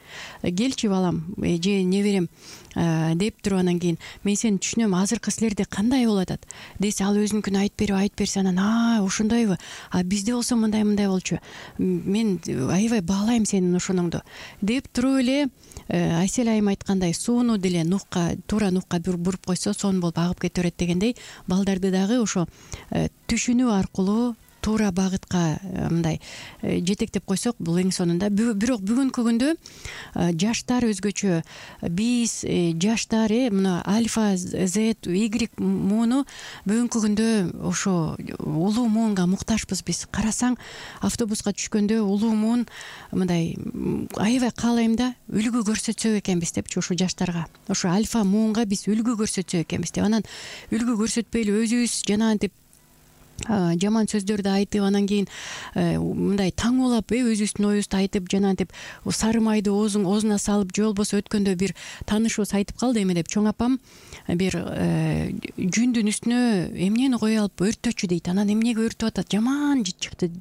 келчи балам же неберем деп туруп анан кийин мен сени түшүнөм, азыркы силерде кандай болуп атат десе, ал өзүнүкүн айтып берип айтып берсе, анан а ошондойбу, а бизде болсо мындай мындай болчу, мен аябай баалайм сенин ошоноңду деп туруп эле Айсель айым айткандай сууну деле нукка, туура нукка буруп койсо сонун болуп агып кете берет дегендей, балдарды дагы ошо түшүнүү аркылуу туура багытка мындай жетектеп койсок, бул эң сонунда. Бирок бүгүнкү күндө жаштар өзгөчө, биз жаштар э мына альфа, Z, Y мууну бүгүнкү күндө ошо улуу муунга муктажбыз биз. Карасаң, автобуска түшкөндө улуу муун мындай аябай каалайм да үлгү көрсөтсөк экенбиз депчи, ошо жаштарга, ошо альфа муунга биз үлгү көрсөтсөк экенбиз деп. Анан үлгү көрсөтпөйлү өзүбүз жанагынтип жаман сөздөрдү айтып, анан кийин мындай таңуулап э өзүбүздүн оюбузду айтып, жанагынтип сары майды оозуна салып, же болбосо өткөндө бир таанышыбыз айтып калды, эме деп, чоң апам бир жүндүн үстүнө эмнени кое алып өрттөчү дейт. Анан эмнеге өртүп атат, жаман жыт чыкты,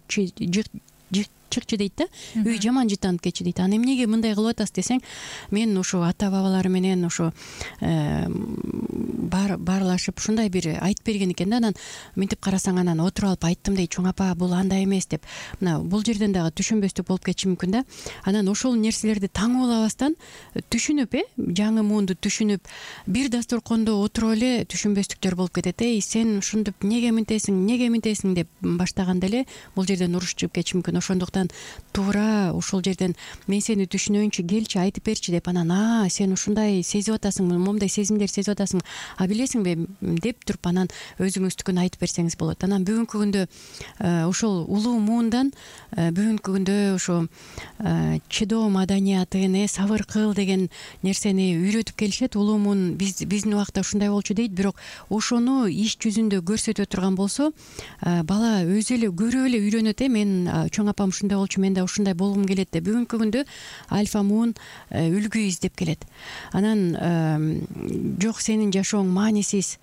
чыкчы дейт да, үй жаман жыттанып кетчү дейт. Анан эмнеге мындай кылып атасыз десең, мен ошо ата бабалар менен ошо баарлашып ушундай бир айтып берген экен да. Анан мынтип карасаң, анан отуруп алып айттым дейт, чоң апа бул андай эмес деп. Мына бул жерден дагы түшүнбөстүк болуп кетиши мүмкүн да. Анан ошол нерселерди таңуулабастан түшүнүп э жаңы муунду түшүнүп, бир дасторкондо отуруп эле түшүнбөстүктөр болуп кетет. Эй сен ушинтип неге мынтесиң, неге мынтесиң деп баштаганда эле бул жерден уруш чыгып кетиши мүмкүн. Ошондуктан туура ошол жерден мен сени түшүнөйүнчү, келчи айтып берчи деп, анан а сен ушундай сезип атасың, момундай сезимдер сезип атасың, а билесиңби деп туруп анан өзүңүздүкүн айтып берсеңиз болот. Анан бүгүнкү күндө ошол улуу муундан бүгүнкү күндө ошо чыдоо маданиятын, э сабыр кыл деген нерсени үйрөтүп келишет. Улуу муун биз биздин убакта ушундай болчу дейт, бирок ошону иш жүзүндө көрсөтө турган болсо бала өзү эле көрүп эле үйрөнөт. э мен чоң апам ушундай болчу, мен да ушундай болгум келет деп. Бүгүнкү күндө альфа муун үлгү издеп келет. Анан жок сенин жашооң маанисиз,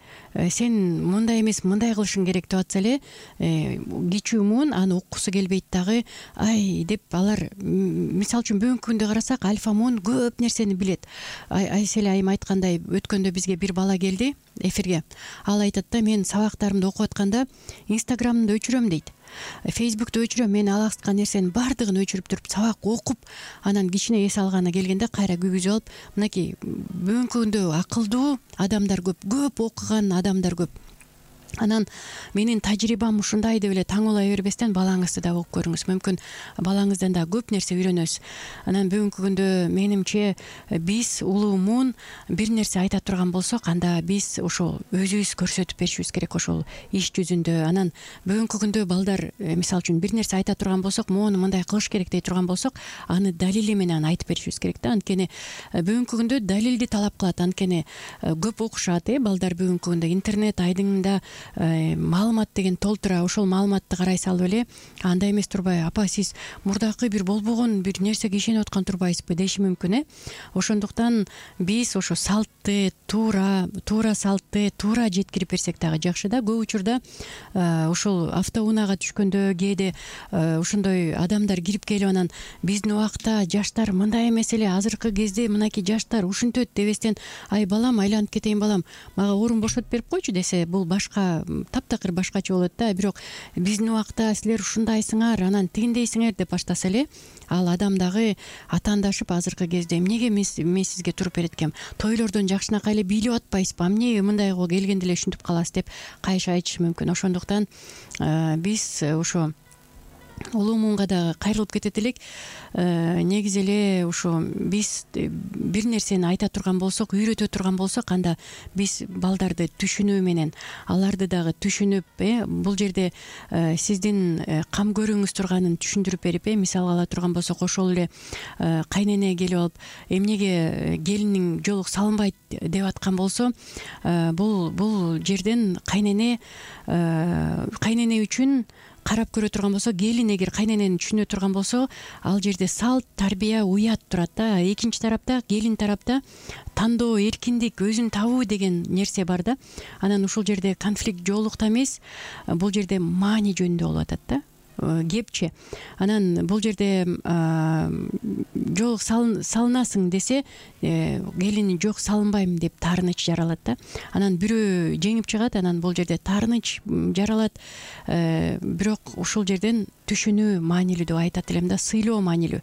сен мындай эмес мындай кылышың керек деп атса эле, кичүү муун аны уккусу келбейт дагы. Ай деп алар, мисалы үчүн бүгүнкү күндө карасак, альфа муун көп нерсени билет. Айсель айым айткандай, өткөндө бизге бир бала келди эфирге. Ал айтат да, мен сабактарымды окуп атканда инстаграмымды өчүрөм дейт, фейсбукту өчүрөм, мен алаксыткан нерсенин баардыгын өчүрүп туруп сабак окуп, анан кичине эс алганы келгенде кайра күйгүзүп алып, мынакей бүгүнкү күндө акылдуу адамдар көп, көп окуган адамдар көп. Анан менин тажрыйбам ушундай деп эле таңуулай бербестен балаңызды да угуп көрүңүз. Мүмкүн балаңыздан да көп нерсе үйрөнөсүз. Анан бүгүнкү күндө менимче биз улуу муун бир нерсе айта турган болсок, анда биз ошол өзүбүз көрсөтүп беришибиз керек ошол иш жүзүндө. Анан бүгүнкү күндө балдар мисалы үчүн бир нерсе айта турган болсок, моуну мындай кылыш керек дей турган болсок, аны далили менен айтып беришибиз керек да. Анткени бүгүнкү күндө далилди талап кылат. Анткени көп окушат э балдар бүгүнкү күндө интернет айдыңында маалымат деген толтура. Ошол маалыматты карай салып эле, андай эмес турбай, апа сиз мурдакы бир болбогон бир нерсеге ишенип аткан турбайсызбы деши мүмкүн э. Ошондуктан биз ошо салтты туура туура салтты туура жеткирип берсек дагы жакшы да. Көп учурда ошол автоунаага түшкөндө кээде ошондой адамдар кирип келип, анан биздин убакта жаштар мындай эмес эле, азыркы кезде мынакей жаштар ушинтет дебестен, ай балам айланып кетейин балам, мага орун бошотуп берип койчу десе, бул башка таптакыр башкача болот да. Бирок биздин убакта силер ушундайсыңар, анан тигиндейсиңер деп баштаса эле, ал адам дагы атаандашып азыркы кезде эмнеге мен сизге туруп берет экем, тойлордон жакшынакай эле бийлеп атпайсызбы, эмнеге мындайга келгенде эле ушинтип каласыз деп кайша айтышы мүмкүн. Ошондуктан биз ошо улуу муунга дагы кайрылып кетет элек. Негизи эле ошо биз бир нерсени айта турган болсок, үйрөтө турган болсок, анда биз балдарды түшүнүү менен аларды дагы түшүнүп, э бул жерде сиздин кам көрүүңүз турганын түшүндүрүп берип, э мисал ала турган болсок, ошол эле кайнене келип алып, эмнеге келиниң жолук салынбайт деп аткан болсо, бул бул жерден кайнене кайнене үчүн карап көрө турган болсо, келин эгер кайненени түшүнө турган болсо, ал жерде салт, тарбия, уят турат да. Экинчи тарапта, келин тарапта тандоо, эркиндик, өзүн табуу деген нерсе бар да. Анан ушул жерде конфликт жоолукта эмес, бул жерде маани жөнүндө болуп атат да. кепче. Анан бул жерде жок салынасың десе келини жок салынбайм деп таарыныч жаралат да. Анан бирөө жеңип чыгат, анан бул жерде таарыныч жаралат. Бирок ушул жерден түшүнүү маанилүү деп айтат элем да, сыйлоо маанилүү.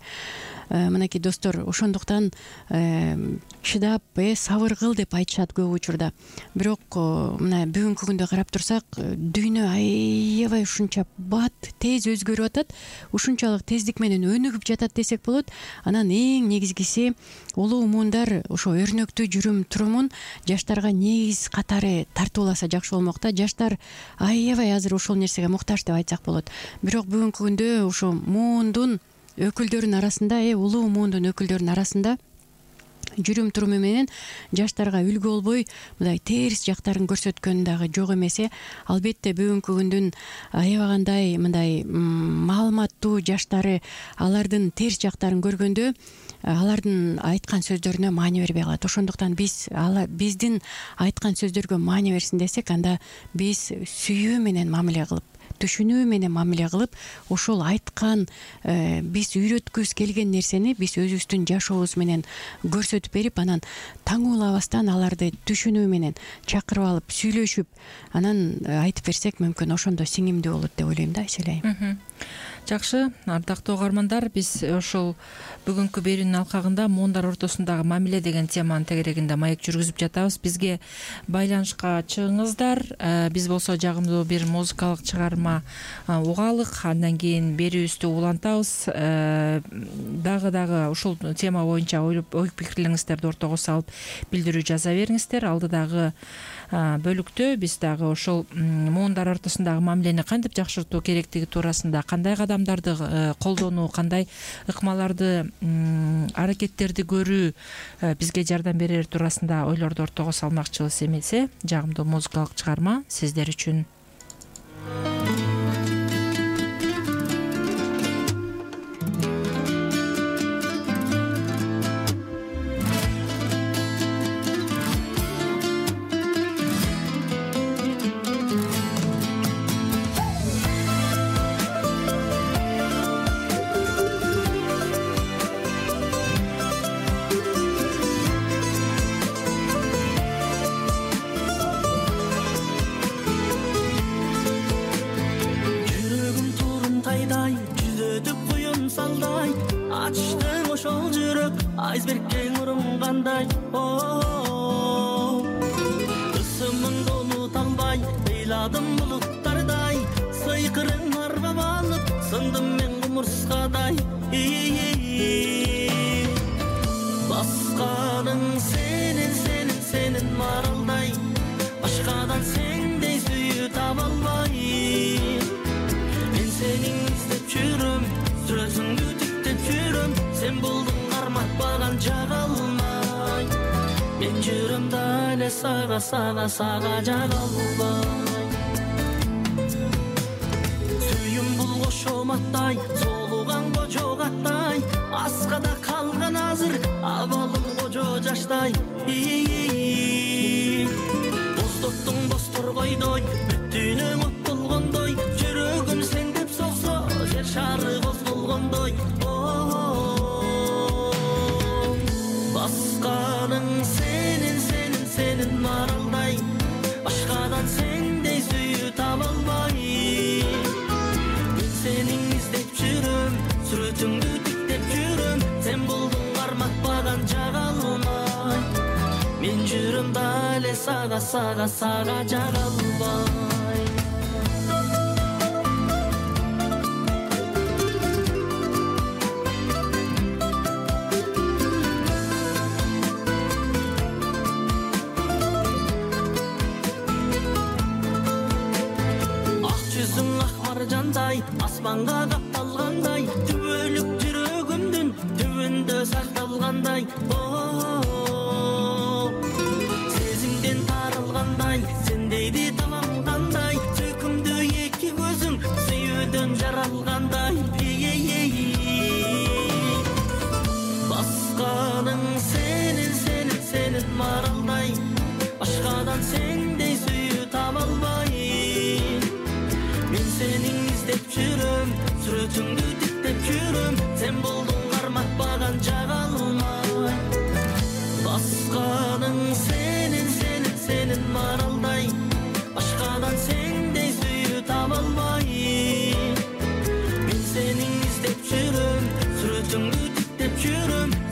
Мынакей достор, ошондуктан чыдап, э сабыр кыл деп айтышат көп учурда. Бирок мына бүгүнкү күндө карап турсак, дүйнө аябай ушунча бат, тез өзгөрүп атат, ушунчалык тездик менен өнүгүп жатат десек болот. Анан эң негизгиси улуу муундар ошо өрнөктүү жүрүм турумун жаштарга негиз катары тартууласа жакшы болмок да. Жаштар аябай азыр ошол нерсеге муктаж деп айтсак болот. Бирок бүгүнкү күндө ошо муундун өкүлдөрүнүн арасында, э улуу муундун өкүлдөрүнүн арасында жүрүм туруму менен жаштарга үлгү болбой мындай терс жактарын көрсөткөн дагы жок эмес. Албетте бүгүнкү күндүн аябагандай мындай маалыматтуу жаштары алардын терс жактарын көргөндө алардын айткан сөздөрүнө маани бербей калат. Ошондуктан биз биздин айткан сөздөргө маани берсин десек, анда биз сүйүү менен мамиле кылып, түшүнүү менен мамиле кылып, ошол айткан биз үйрөткүбүз келген нерсени биз өзүбүздүн жашообуз менен көрсөтүп берип, анан таңуулабастан аларды түшүнүү менен чакырып алып сүйлөшүп, анан айтып берсек, мүмкүн ошондо сиңимдүү болот деп ойлойм да, Айсель айым.
Жакшы, ардактуу угармандар, биз ошол бүгүнкү берүүнүн алкагында муундар ортосундагы мамиле деген теманын тегерегинде маек жүргүзүп жатабыз. Бизге байланышка чыгыңыздар. Биз болсо жагымдуу бир музыкалык чыгарма угаалык, андан кийин берүүбүздү улантабыз. Дагы дагы ушул тема боюнча ой пикирлериңиздерди ортого салып билдирүү жаза бериңиздер. Алдыдагы бөлүктө биз дагы ошол муундар ортосундагы мамилени кантип жакшыртуу керектиги туурасында, кандай кадамдарды колдонуу, кандай ыкмаларды, аракеттерди көрүү бизге жардам берер туурасында ойлорду ортого салмакчыбыз эмесе, жагымдуу музыкалык чыгарма сиздер үчүн.
Айсбергке урмгандай, ысымыңды унута албай, ыйладым булуттардай, сыйкырың арбап алып, сындым мен кумурскадай. Басканың сенин, сенин, сенин маралдай, башкадан сендей сүйүү таба албай. Мен сени издеп жүрөм, сүрөтүңдү тиктеп жүрөм, сен болдуң карматпаган жагалмай. Мен жүрөм дале сага, сага, сага жагалбай. Сүйүм бул кошоматтай, солуган кожо каттай, аскада калган азыр абалым кожо жаштай. Бостоттуң бостор койдой, бүттүнөң от болгондой, жүрөгүм сен деп соксо, жер шары козголгондой. Басканың сенин, сенин, сенин маралдай, башкадан сендей сүйүү таба албай. Мен сени издеп жүрөм, сүрөтүңдү тиктеп жүрөм, сен болдуң карматпаган жагалмай. Мен жүрөм дале сага, сага, сага жагалбай. Асманга капталгандай, түбөлүк жүрөгүмдүн түбүндө сакталгандай. Сезимден тарылгандай, сендейди табам кандай, сөкүмдү эки көзүң сүйүүдөн жаралгандай. Басканың сенин, сенин, сенин маралдай, башкадан сендей сүйүү таба албай. Мен сени издеп жүрөм,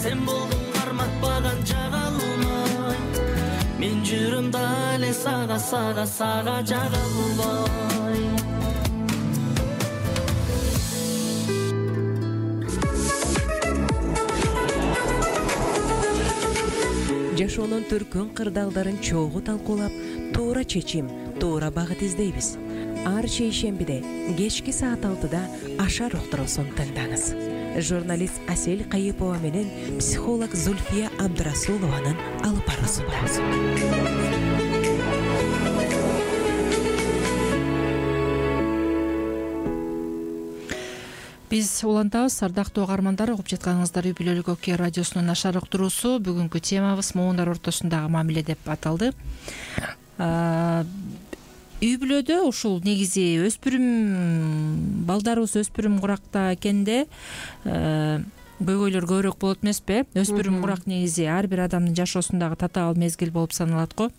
сен болдуң карматпаган жага алмай. Мен жүрөм дале сага сага сага жага албай.
Жашоонун түркүн кырдаалдарын чогуу талкуулап, туура чечим, туура багыт издейбиз. Ар шейшембиде кечки саат алтыда Ашар уктуруусун тыңдаңыз. Журналист Асель Кайыпова менен психолог Зульфия Абдрасулованын алып баруусунда.
Биз улантабыз, ардактуу угармандар, угуп жатканыңыздар Үй Бүлөлүк Ок радиосунун Ашар уктуруусу. Бүгүнкү темабыз моундар ортосундагы мамиле деп аталды. Үй бүлөдө ушул негизи өспүрүм балдарыбыз өспүрүм куракта экенде көйгөйлөр көбүрөөк болот эмеспи? Өспүрүм курак негизи ар бир адамдын жашоосундагы татаал мезгил болуп саналат го.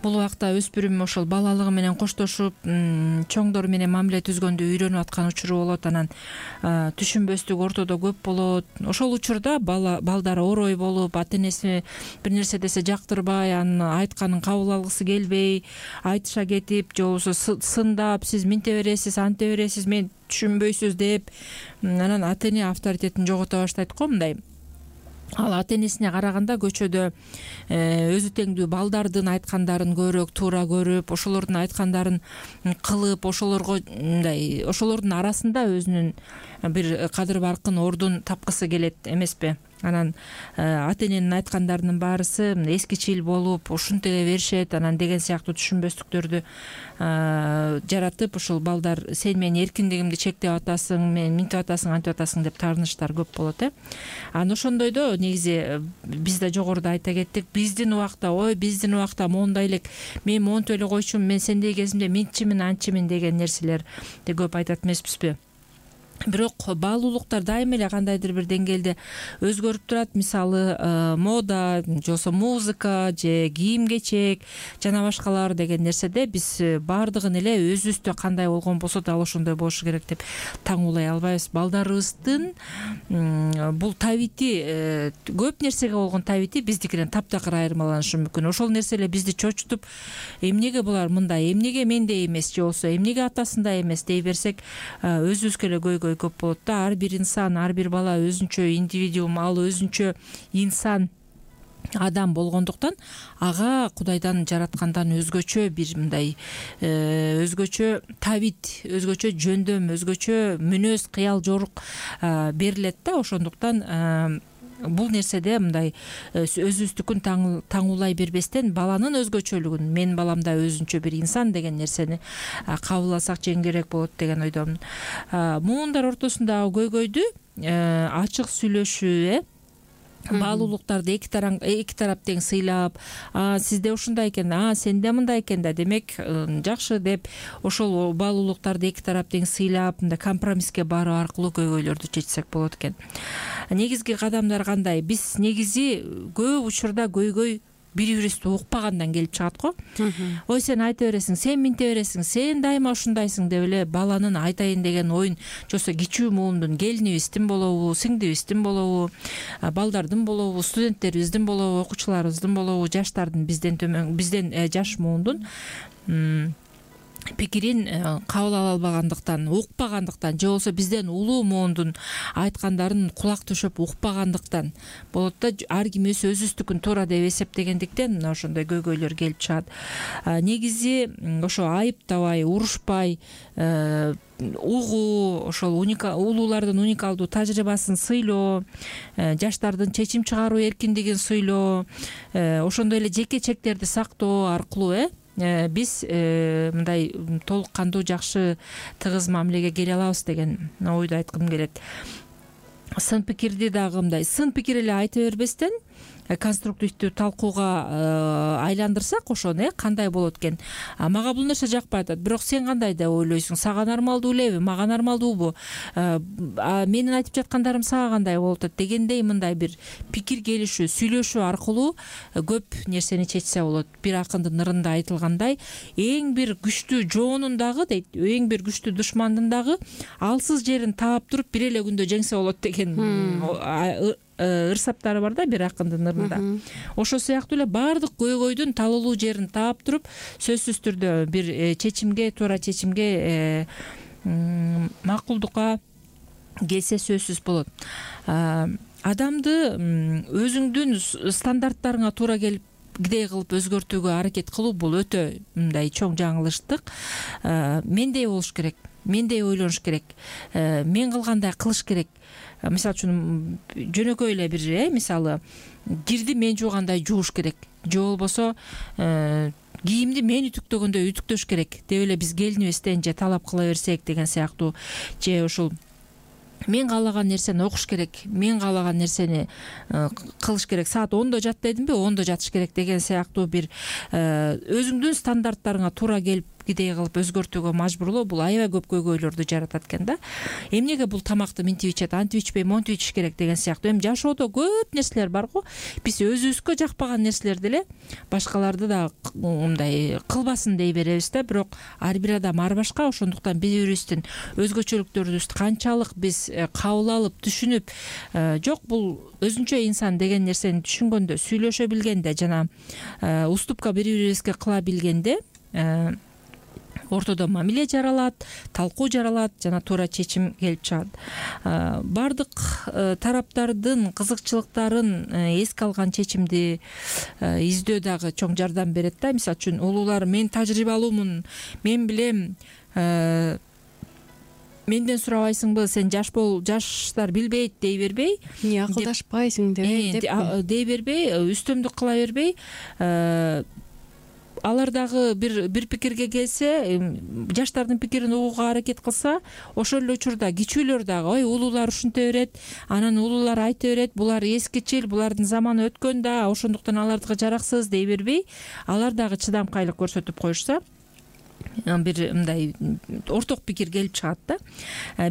Бул убакта өспүрүм ошол балалыгы менен коштошуп, чоңдор менен мамиле түзгөндү үйрөнүп аткан учуру болот, анан түшүнбөстүк ортодо көп болот. Ошол учурда бала балдар орой болуп, ата энеси бир нерсе десе жактырбай, анын айтканын кабыл алгысы келбей, айтыша кетип, же болбосо сындап, сиз минте бересиз, анте бересиз, мен түшүнбөйсүз деп, анан ата эне авторитетин жогото баштайт го. Мындай ал ата энесине караганда көчөдө өзү теңдүү балдардын айткандарын көбүрөөк туура көрүп, ошолордун айткандарын кылып, ошолорго мындай ошолордун арасында өзүнүн бир кадыр баркын ордун тапкысы келет эмеспи? Анан ата эненин айткандарынын баарысы эскичил болуп, ушинтире беришет, анан деген сыяктуу түшүнбөстүктөрдү жаратып, ушул балдар сен менин эркиндигимди чектеп атасың, мен минтип атасың, антип атасың деп таарынычтар көп болот, э. Анан ошондойдо негизи биз да жогоруда айта кеттик, биздин убакта, ой, биздин убакта моундай элек, мен монтип эле койчумун, мен сендей кезимде мынтчимин, антчимин деген нерселерди көп айтат эмеспизби? Бирок баалуулуктар дайыма эле кандайдыр бир деңгээлде өзгөрүп турат. Мисалы, мода, же болбосо музыка, же кийим-кечек жана башкалар деген нерседе биз баардыгын эле өзүбүздө кандай болгон болсо дал ошондой болушу керек деп таңуулай албайбыз. Балдарыбыздын бул табити, көп нерсеге болгон табити биздикинен таптакыр айырмаланышы мүмкүн. Ошол нерсе эле бизди чочутуп, эмнеге булар мындай, эмнеге мендей эмес, же болбосо эмнеге атасындай эмес дей берсек, өзүбүзгө эле көйгөй көп болот да. Ар бир инсан, ар бир бала өзүнчө индивидуум, ал өзүнчө инсан, адам болгондуктан ага Кудайдан жараткандан өзгөчө бир мындай өзгөчө табит, өзгөчө жөндөм, өзгөчө мүнөз, кыял, жорук берилет да. Ошондуктан бул нерседе мындай өзүбүздүкүн таңуулай бербестен, баланын өзгөчөлүгүн, менин балам да өзүнчө бир инсан деген нерсени кабыл алсак жеңилирээк болот деген ойдомун. Моундар ортосундагы көйгөйдү ачык сүйлөшүү, э баалуулуктарды эки тарап эки тарап тең сыйлап, а сизде ушундай экен, а сенде мындай экен да, демек жакшы деп ошол баалуулуктарды эки тарап тең сыйлап, мындай компромисске баруу аркылуу көйгөйлөрдү чечсек болот экен. Негизги кадамдар кандай? Биз негизи көп учурда көйгөй бири-бирибизди укпагандан келип чыгат го. Ой, сен айта бересиң, сен минте бересиң, сен дайыма ушундайсың деп эле баланын айтайын деген оюн, жосо кичүү муундун, келинибиздин болобу, сиңдибиздин болобу, балдардын болобу, студенттерибиздин болобу, окуучуларыбыздын болобу, жаштардын, бизден төмөн, бизден жаш муундун пикирин кабыл ала албагандыктан, укпагандыктан, же болбосо бизден улуу муундун айткандарын кулак түшөп укпагандыктан болот да. Ар ким өзүбүздүкүн туура деп эсептегендиктен мына ошондой көйгөйлөр келип чыгат. Негизи ошо айыптабай, урушпай, угуу, ошол улуулардын уникалдуу тажрыйбасын сыйлоо, жаштардын чечим чыгаруу эркиндигин сыйлоо, ошондой эле жеке чектерди сактоо аркылуу, э биз мындай толук кандуу жакшы тыгыз мамилеге келе алабыз деген ойду айткым келет. Сын пикирди дагы мындай сын пикир эле айта бербестен, конструктивдүү талкууга айландырсак ошону, э кандай болот экен, мага бул нерсе жакпай атат, бирок сен кандай деп ойлойсуң, сага нормалдуу элеби, мага нормалдуубу, менин айтып жаткандарым сага кандай болуп атат дегендей мындай бир пикир келишүү, сүйлөшүү аркылуу көп нерсени чечсе болот. Бир акындын ырында айтылгандай, эң бир күчтүү жоонун дагы дейт, эң бир күчтүү душмандын дагы алсыз жерин таап туруп бир эле күндө жеңсе болот деген ыр саптары бар да бир акындын ырында. Ошо сыяктуу эле баардык көйгөйдүн талуулуу жерин таап туруп сөзсүз түрдө бир чечимге, туура чечимге, макулдукка келсе сөзсүз болот. Адамды өзүңдүн стандарттарыңа туура келип кидей кылып өзгөртүүгө аракет кылуу бул өтө мындай чоң жаңылыштык. Мендей болуш керек, мендей ойлонуш керек, мен кылгандай кылыш керек. Мисалы үчүн жөнөкөй эле бир, э мисалы кирди мен жуугандай жууш керек, же болбосо кийимди мен үтүктөгөндөй үтүктөш керек деп эле биз келинибизден же талап кыла берсек деген сыяктуу, же ушул мен каалаган нерсени окуш керек, мен каалаган нерсени кылыш керек, саат ондо жат дедимби, ондо жатыш керек деген сыяктуу бир өзүңдүн стандарттарыңа туура келип кидей кылып өзгөртүүгө мажбурлоо бул аябай көп көйгөйлөрдү жаратат экен да. Эмнеге бул тамакты мынтип ичет, антип ичпей, монтип ичиш керек деген сыяктуу. Эми жашоодо көп нерселер бар го. Биз өзүбүзгө жакпаган нерселерди эле башкаларды да мындай кылбасын дей беребиз да, бирок ар бир адам ар башка. Ошондуктан биз бирибиздин өзгөчөлүктөрүбүздү канчалык биз кабыл алып, түшүнүп, жок бул өзүнчө инсан деген нерсени түшүнгөндө, сүйлөшө билгенде жана уступка бири бирибизге кыла билгенде ортодо мамиле жаралат, талкуу жаралат жана туура чечим келип чыгат. Бардык тараптардын кызыкчылыктарын эске алган чечимди издөө дагы чоң жардам берет да. Мисалы үчүн улуулар мен тажрыйбалуумун, мен билем, менден сурабайсыңбы, сен жаш бол, жаштар билбейт дей бербей,
эмне акылдашпайсың деп
дей бербей, үстөмдүк кыла бербей, алар дагы бир бир пикирге келсе, жаштардын пикирин угууга аракет кылса, ошол эле учурда кичүүлөр дагы ой улуулар ушинте берет, анан улуулар айта берет, булар эскичил, булардын заманы өткөн да, ошондуктан алардыгы жараксыз дей бербей, алар дагы чыдамкайлык көрсөтүп коюшса, бир мындай орток пикир келип чыгат да.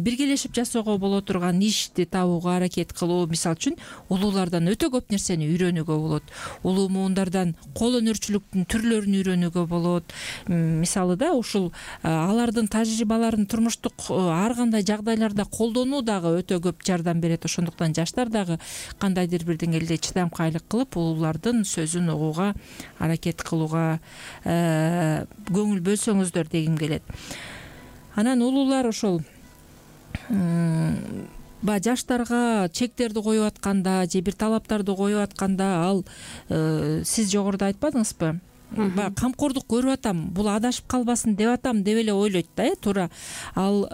Биргелешип жасоого боло турган ишти табууга аракет кылуу, мисалы үчүн улуулардан өтө көп нерсени үйрөнүүгө болот. Улуу муундардан кол өнөрчүлүктүн түрлөрүн үйрөнүүгө болот. Мисалы да ушул алардын тажрыйбаларын турмуштук ар кандай жагдайларда колдонуу дагы өтө көп жардам берет. Ошондуктан жаштар дагы кандайдыр бир деңгээлде чыдамкайлык кылып, улуулардын сөзүн угууга аракет кылууга көңүл бөлсөңүз дегим келет. Анан улуулар ошол баягы жаштарга чектерди коюп атканда же бир талаптарды коюп атканда, ал сиз жогоруда айтпадыңызбы? Баягы камкордук көрүп атам, бул адашып калбасын деп атам деп эле ойлойт да, э туура. Ал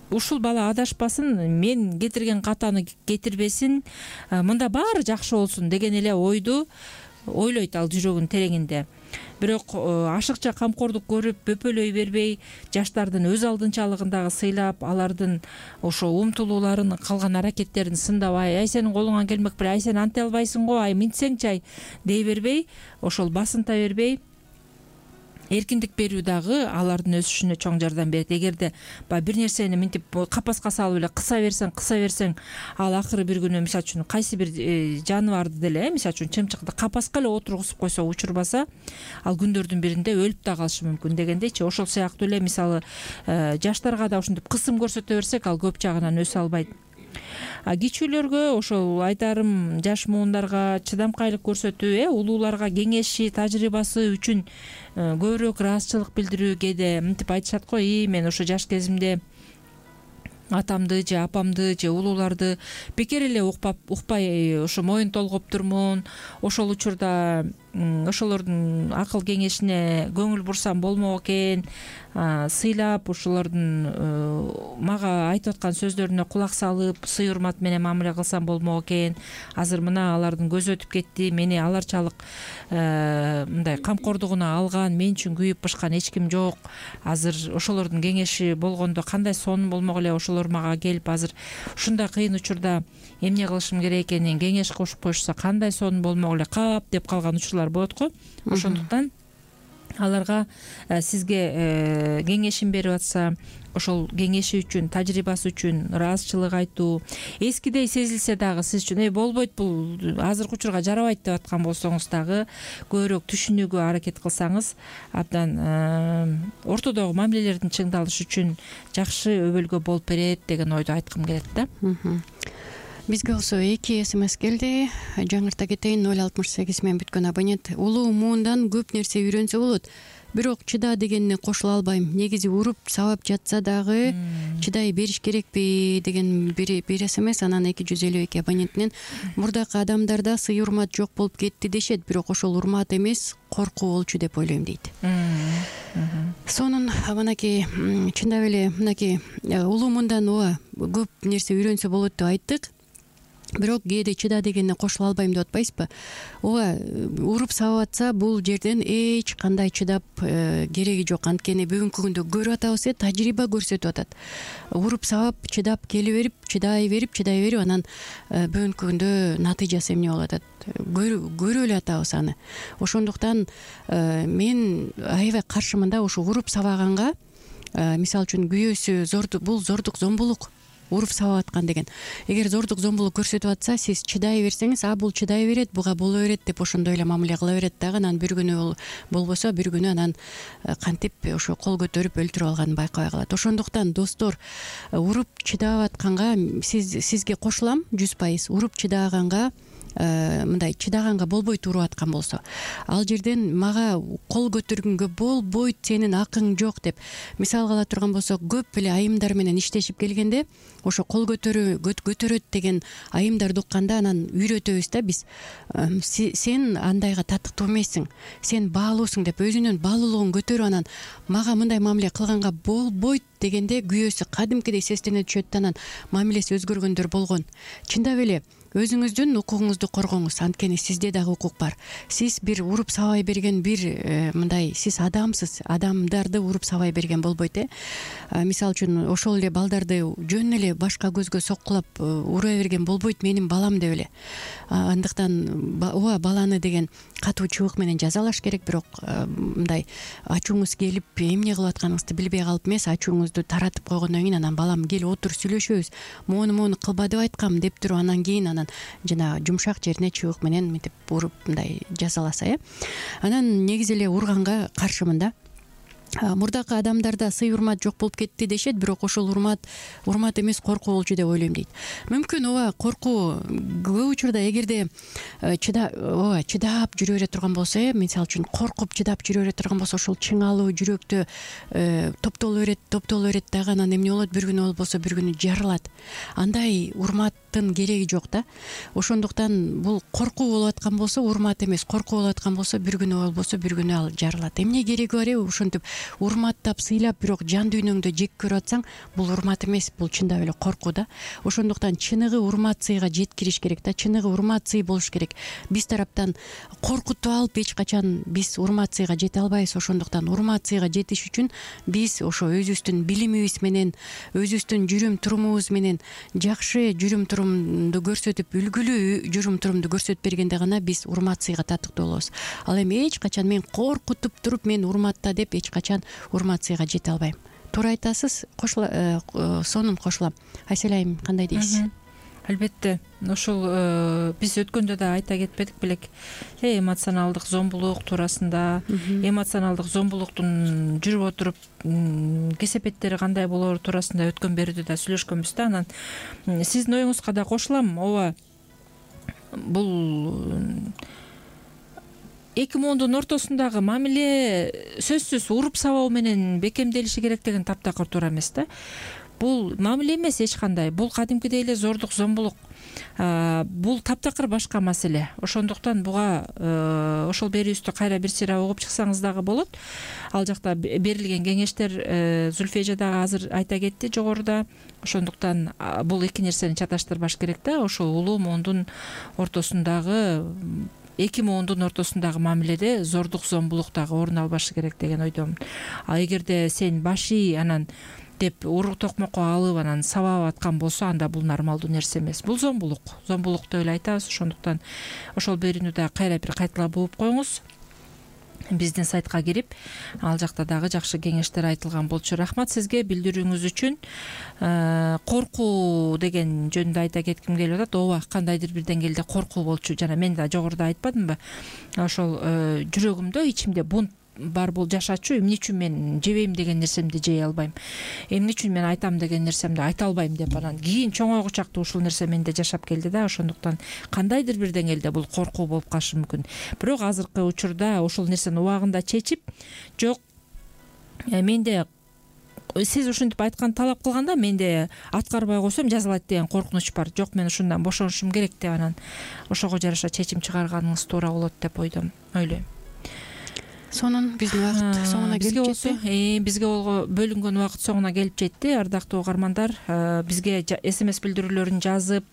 ушул бала адашпасын, мен кетирген катаны кетирбесин, мында баары жакшы болсун деген эле ойду ойлойт ал жүрөгүнүн тереңинде. Бирок ашыкча камкордук көрүп, бөпөлөй бербей, жаштардын өз алдынчалыгын дагы сыйлап, алардын ошо умтулууларын, кылган аракеттерин сындабай, ай сенин колуңан келмек бир, ай сен анте албайсың го, ай минтсеңчи ай дей бербей, ошол басынта бербей, эркиндик берүү дагы алардын өсүшүнө чоң жардам берет. Эгерде баягы бир нерсени мынтип капаска салып эле кыса берсең, кыса берсең, ал акыры бир күнү мисалы үчүн кайсы бир жаныбарды деле, мисалы үчүн чымчыкты капаска эле отургузуп койсо, учурбаса, ал күндөрдүн биринде өлүп да калышы мүмкүн дегендейчи. Ошол сыяктуу эле мисалы жаштарга да ушинтип кысым көрсөтө берсек, ал көп жагынан өсө албайт. Кичүүлөргө ошол айтарым, жаш муундарга чыдамкайлык көрсөтүү, э улууларга кеңеши, тажрыйбасы үчүн көбүрөөк ыраазычылык билдирүү. Кээде мынтип айтышат го, и мен ошо жаш кезимде атамды же апамды же улууларды бекер эле укпап укпай ошо моюн толгоптурмун. Ошол учурда ошолордун акыл кеңешине көңүл бурсам болмок экен, сыйлап ошолордун мага айтып аткан сөздөрүнө кулак салып, сый урмат менен мамиле кылсам болмок экен. Азыр мына алардын көзү өтүп кетти, мени аларчалык мындай камкордугуна алган, мен үчүн күйүп бышкан эч ким жок. Азыр ошолордун кеңеши болгондо кандай сонун болмок эле, ошолор мага келип азыр ушундай кыйын учурда эмне кылышым керек экенин кеңеш кошуп коюшса кандай сонун болмок эле, кап деп калган учурлар болот го. Ошондуктан аларга сизге кеңешин берип атса, ошол кеңеши үчүн, тажрыйбасы үчүн ыраазычылык айтуу, эскидей сезилсе дагы сиз үчүн э болбойт, бул азыркы учурга жарабайт деп аткан болсоңуз дагы көбүрөөк түшүнүүгө аракет кылсаңыз, абдан ортодогу мамилелердин чыңдалышы үчүн жакшы өбөлгө болуп берет деген ойду айткым келет да.
Бизге болсо эки смс келди. Жаңырта кетейин: ноль алтымыш сегиз менен бүткөн абонент. Улуу муундан көп нерсе үйрөнсө болот, бирок чыда дегенине кошула албайм. Негизи уруп сабап жатса дагы чыдай бериш керекпи деген бир смс. Анан эки жүз элүү эки абонентинен: мурдакы адамдарда сый урмат жок болуп кетти дешет, бирок ошол урмат эмес, коркуу болчу деп ойлойм дейт. Сонун мынакей чындап эле мынакей улуу муундан ооба көп нерсе үйрөнсө болот деп айттык. Бирок кээде чыда дегенине кошула албайм деп атпайсызбы? Ооба, уруп сабап атса бул жерден эч кандай чыдап кереги жок. Анткени бүгүнкү күндө көрүп атабыз, тажрыйба көрсөтүп атат. Уруп сабап, чыдап келе берип, чыдай берип, чыдай берип, анан бүгүнкү күндө натыйжасы эмне болуп атат? Көрүп эле атабыз аны. Ошондуктан мен аябай каршымын да ушу уруп сабаганга. Мисалы үчүн күйөөсү зордук, бул зордук, зомбулук. Уруп сабап аткан деген. Эгер зордук, зомбулук көрсөтүп атса, сиз чыдай берсеңиз, а бул чыдай берет, буга боло берет деп ошондой эле мамиле кыла берет дагы. Анан бир күнү болбосо, бир күнү анан кантип ошо кол көтөрүп өлтүрүп алганын байкабай калат. Ошондуктан достор, уруп чыдап атканга сиз сизге кошулам жүз пайыз. Уруп чыдаганга мындай чыдаганга болбойт уруп аткан болсо. Ал жерден мага кол көтөргөнгө болбойт, сенин акың жок деп мисал ала турган болсок, көп эле айымдар менен иштешип келгенде ошо кол көтөрө көтөрөт деген айымдарды укканда анан үйрөтөбүз да биз. Сен андайга татыктуу эмессиң, сен баалуусуң деп өзүнүн баалуулугун көтөрүп анан мага мындай мамиле кылганга болбойт дегенде күйөөсү кадимкидей сестене түшөт да анан мамилеси өзгөргөндөр болгон. Чындап эле өзүңүздүн укугуңузду коргоңуз, анткени сизде дагы укук бар. Сиз бир уруп сабай берген бир мындай сиз адамсыз, адамдарды уруп сабай берген болбойт э. Мисалы үчүн ошол эле балдарды жөн эле башка көзгө соккулап ура берген болбойт менин балам деп эле. Андыктан ооба баланы деген катуу чыбык менен жазалаш керек, бирок мындай ачууңуз келип эмне кылып атканыңызды билбей калып эмес, ачууңузду таратып койгондон кийин анан балам кел отур сүйлөшөбүз, моуну моуну кылба деп айткам деп туруп анан кийин анан жана жумшак жерине чыбык менен мынтип уруп мындай жазаласа э. Анан негизи эле урганга каршымын да. Мурдакы адамдарда сый урмат жок болуп кетти дешет, бирок ошол урмат урмат эмес, коркуу болчу деп ойлойм дейт. Мүмкүн ооба коркуу көп учурда эгерде чыда ооба чыдап жүрө бере турган болсо э, мисалы үчүн коркуп чыдап жүрө бере турган болсо, ошол чыңалуу жүрөктө топтоло берет, топтоло берет дагы анан эмне болот? Бир күнү болбосо бир күнү жарылат. Андай урматтын кереги жок да. Ошондуктан бул коркуу болуп аткан болсо урмат эмес, коркуу болуп аткан болсо бир күнү болбосо бир күнү ал жарылат. Эмне кереги бар э? Ошентип урматтап, сыйлап, бирок жан дүйнөңдө жек көрүп атсаң, бул урмат эмес, бул чындап эле коркуу да. Ошондуктан чыныгы урмат, сыйга жеткириш керек да, чыныгы урмат, сый болуш керек. Биз тараптан коркутуп алып эч качан биз урмат, сыйга жете албайбыз. Ошондуктан урмат, сыйга жетиш үчүн биз ошо өзүбүздүн билимибиз менен, өзүбүздүн жүрүм турумубуз менен жакшы жүрүм турумду көрсөтүп, үлгүлүү жүрүм турумду көрсөтүп бергенде гана биз урмат, сыйга татыктуу болобуз. Ал эми эч качан мен коркутуп туруп, мен урматта деп эч качан урмат, сыйга жете албайм. Туура айтасыз, кошула сонун кошулам. Айсель айым, кандай дейсиз?
Албетте, ошол биз өткөндө да айта кетпедик белек, эмоционалдык зомбулук туурасында, эмоционалдык зомбулуктун жүрүп отуруп кесепеттери кандай болору туурасында өткөн берүүдө да сүйлөшкөнбүз да. Анан сиздин оюңузга да кошулам. Ооба, бул эки муундун ортосундагы мамиле сөзсүз уруп сабоо менен бекемделиши керек деген таптакыр туура эмес да. бул мамиле эмес эч кандай, бул кадимкидей эле зордук зомбулук, бул таптакыр башка маселе. Ошондуктан буга ошол берүүбүздү кайра бир сыйра угуп чыксаңыз дагы болот. Ал жакта берилген кеңештер Зүлфия дагы азыр айта кетти жогоруда. Ошондуктан бул эки нерсени чаташтырбаш керек да. Ошол улуу муундун ортосундагы эки муундун ортосундагы мамиледе зордук зомбулук дагы орун албашы керек деген ойдомун. А эгерде сен башый анан деп урук токмокко алып анан сабап аткан болсо, анда бул нормалдуу нерсе эмес. Бул зомбулук. Зомбулук деп эле айтабыз. Ошондуктан ошол берүүнү дагы кайра бир кайталап угуп коюңуз. Биздин сайтка кирип, ал жакта дагы жакшы кеңештер айтылган болчу. Рахмат сизге билдирүүңүз үчүн. Коркуу деген жөнүндө айта кетким келип атат. Ооба, кандайдыр бир деңгээлде коркуу болчу. Жана мен да жогоруда айтпадымбы? Ошол жүрөгүмдө, ичимде бунт бар бул жашачу, эмне үчүн мен жебейм деген нерсемди жей албайм, эмне үчүн мен айтам деген нерсемди айта албайм деп анан кийин чоңойгучакты ушул нерсе менде жашап келди да. Ошондуктан кандайдыр бир деңгээлде бул коркуу болуп калышы мүмкүн. Бирок азыркы учурда ошол нерсени убагында чечип, жок менде сиз ушинтип айткан талап кылганда менде аткарбай койсом жазалайт деген коркунуч бар. Жок, мен ушундан бошонушум керек деп анан ошого жараша чечим чыгарганыңыз туура болот деп ойдом, ойлойм.
Сонун биздин убакыт соңуна келип жетти.
Бизге бөлүнгөн убакыт соңуна келип жетти. Ардактуу угармандар, бизге смс билдирүүлөрүн жазып,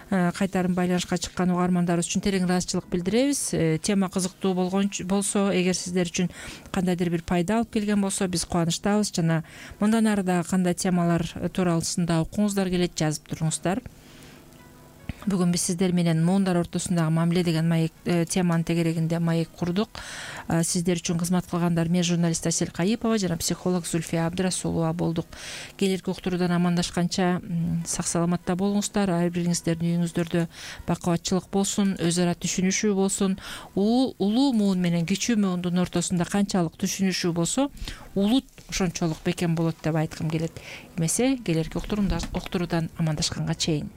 кайтарым байланышка чыккан угармандарыбыз үчүн терең ыраазычылык билдиребиз. Тема кызыктуу болгон болсо, эгер сиздер үчүн кандайдыр бир пайда алып келген болсо, биз кубанычтабыз. Жана мындан ары дагы кандай темалар тууралуусунда окуңуздар келет, жазып туруңуздар. Бүгүн биз сиздер менен муундар ортосундагы мамиле деген маек теманын тегерегинде маек курдук. Сиздер үчүн кызмат кылгандар мен журналист Асель Кайыпова жана психолог Зүлфия Абдрасулова болдук. Келерки уктуруудан амандашканча сак саламатта болуңуздар. Ар бириңиздердин үйүңүздөрдө бакубатчылык болсун, өз ара түшүнүшүү болсун. Улуу муун менен кичүү муундун ортосунда канчалык түшүнүшүү болсо, улут ошончолук бекем болот деп айткым келет. Эмесе келерки уктуруудан амандашканга чейин.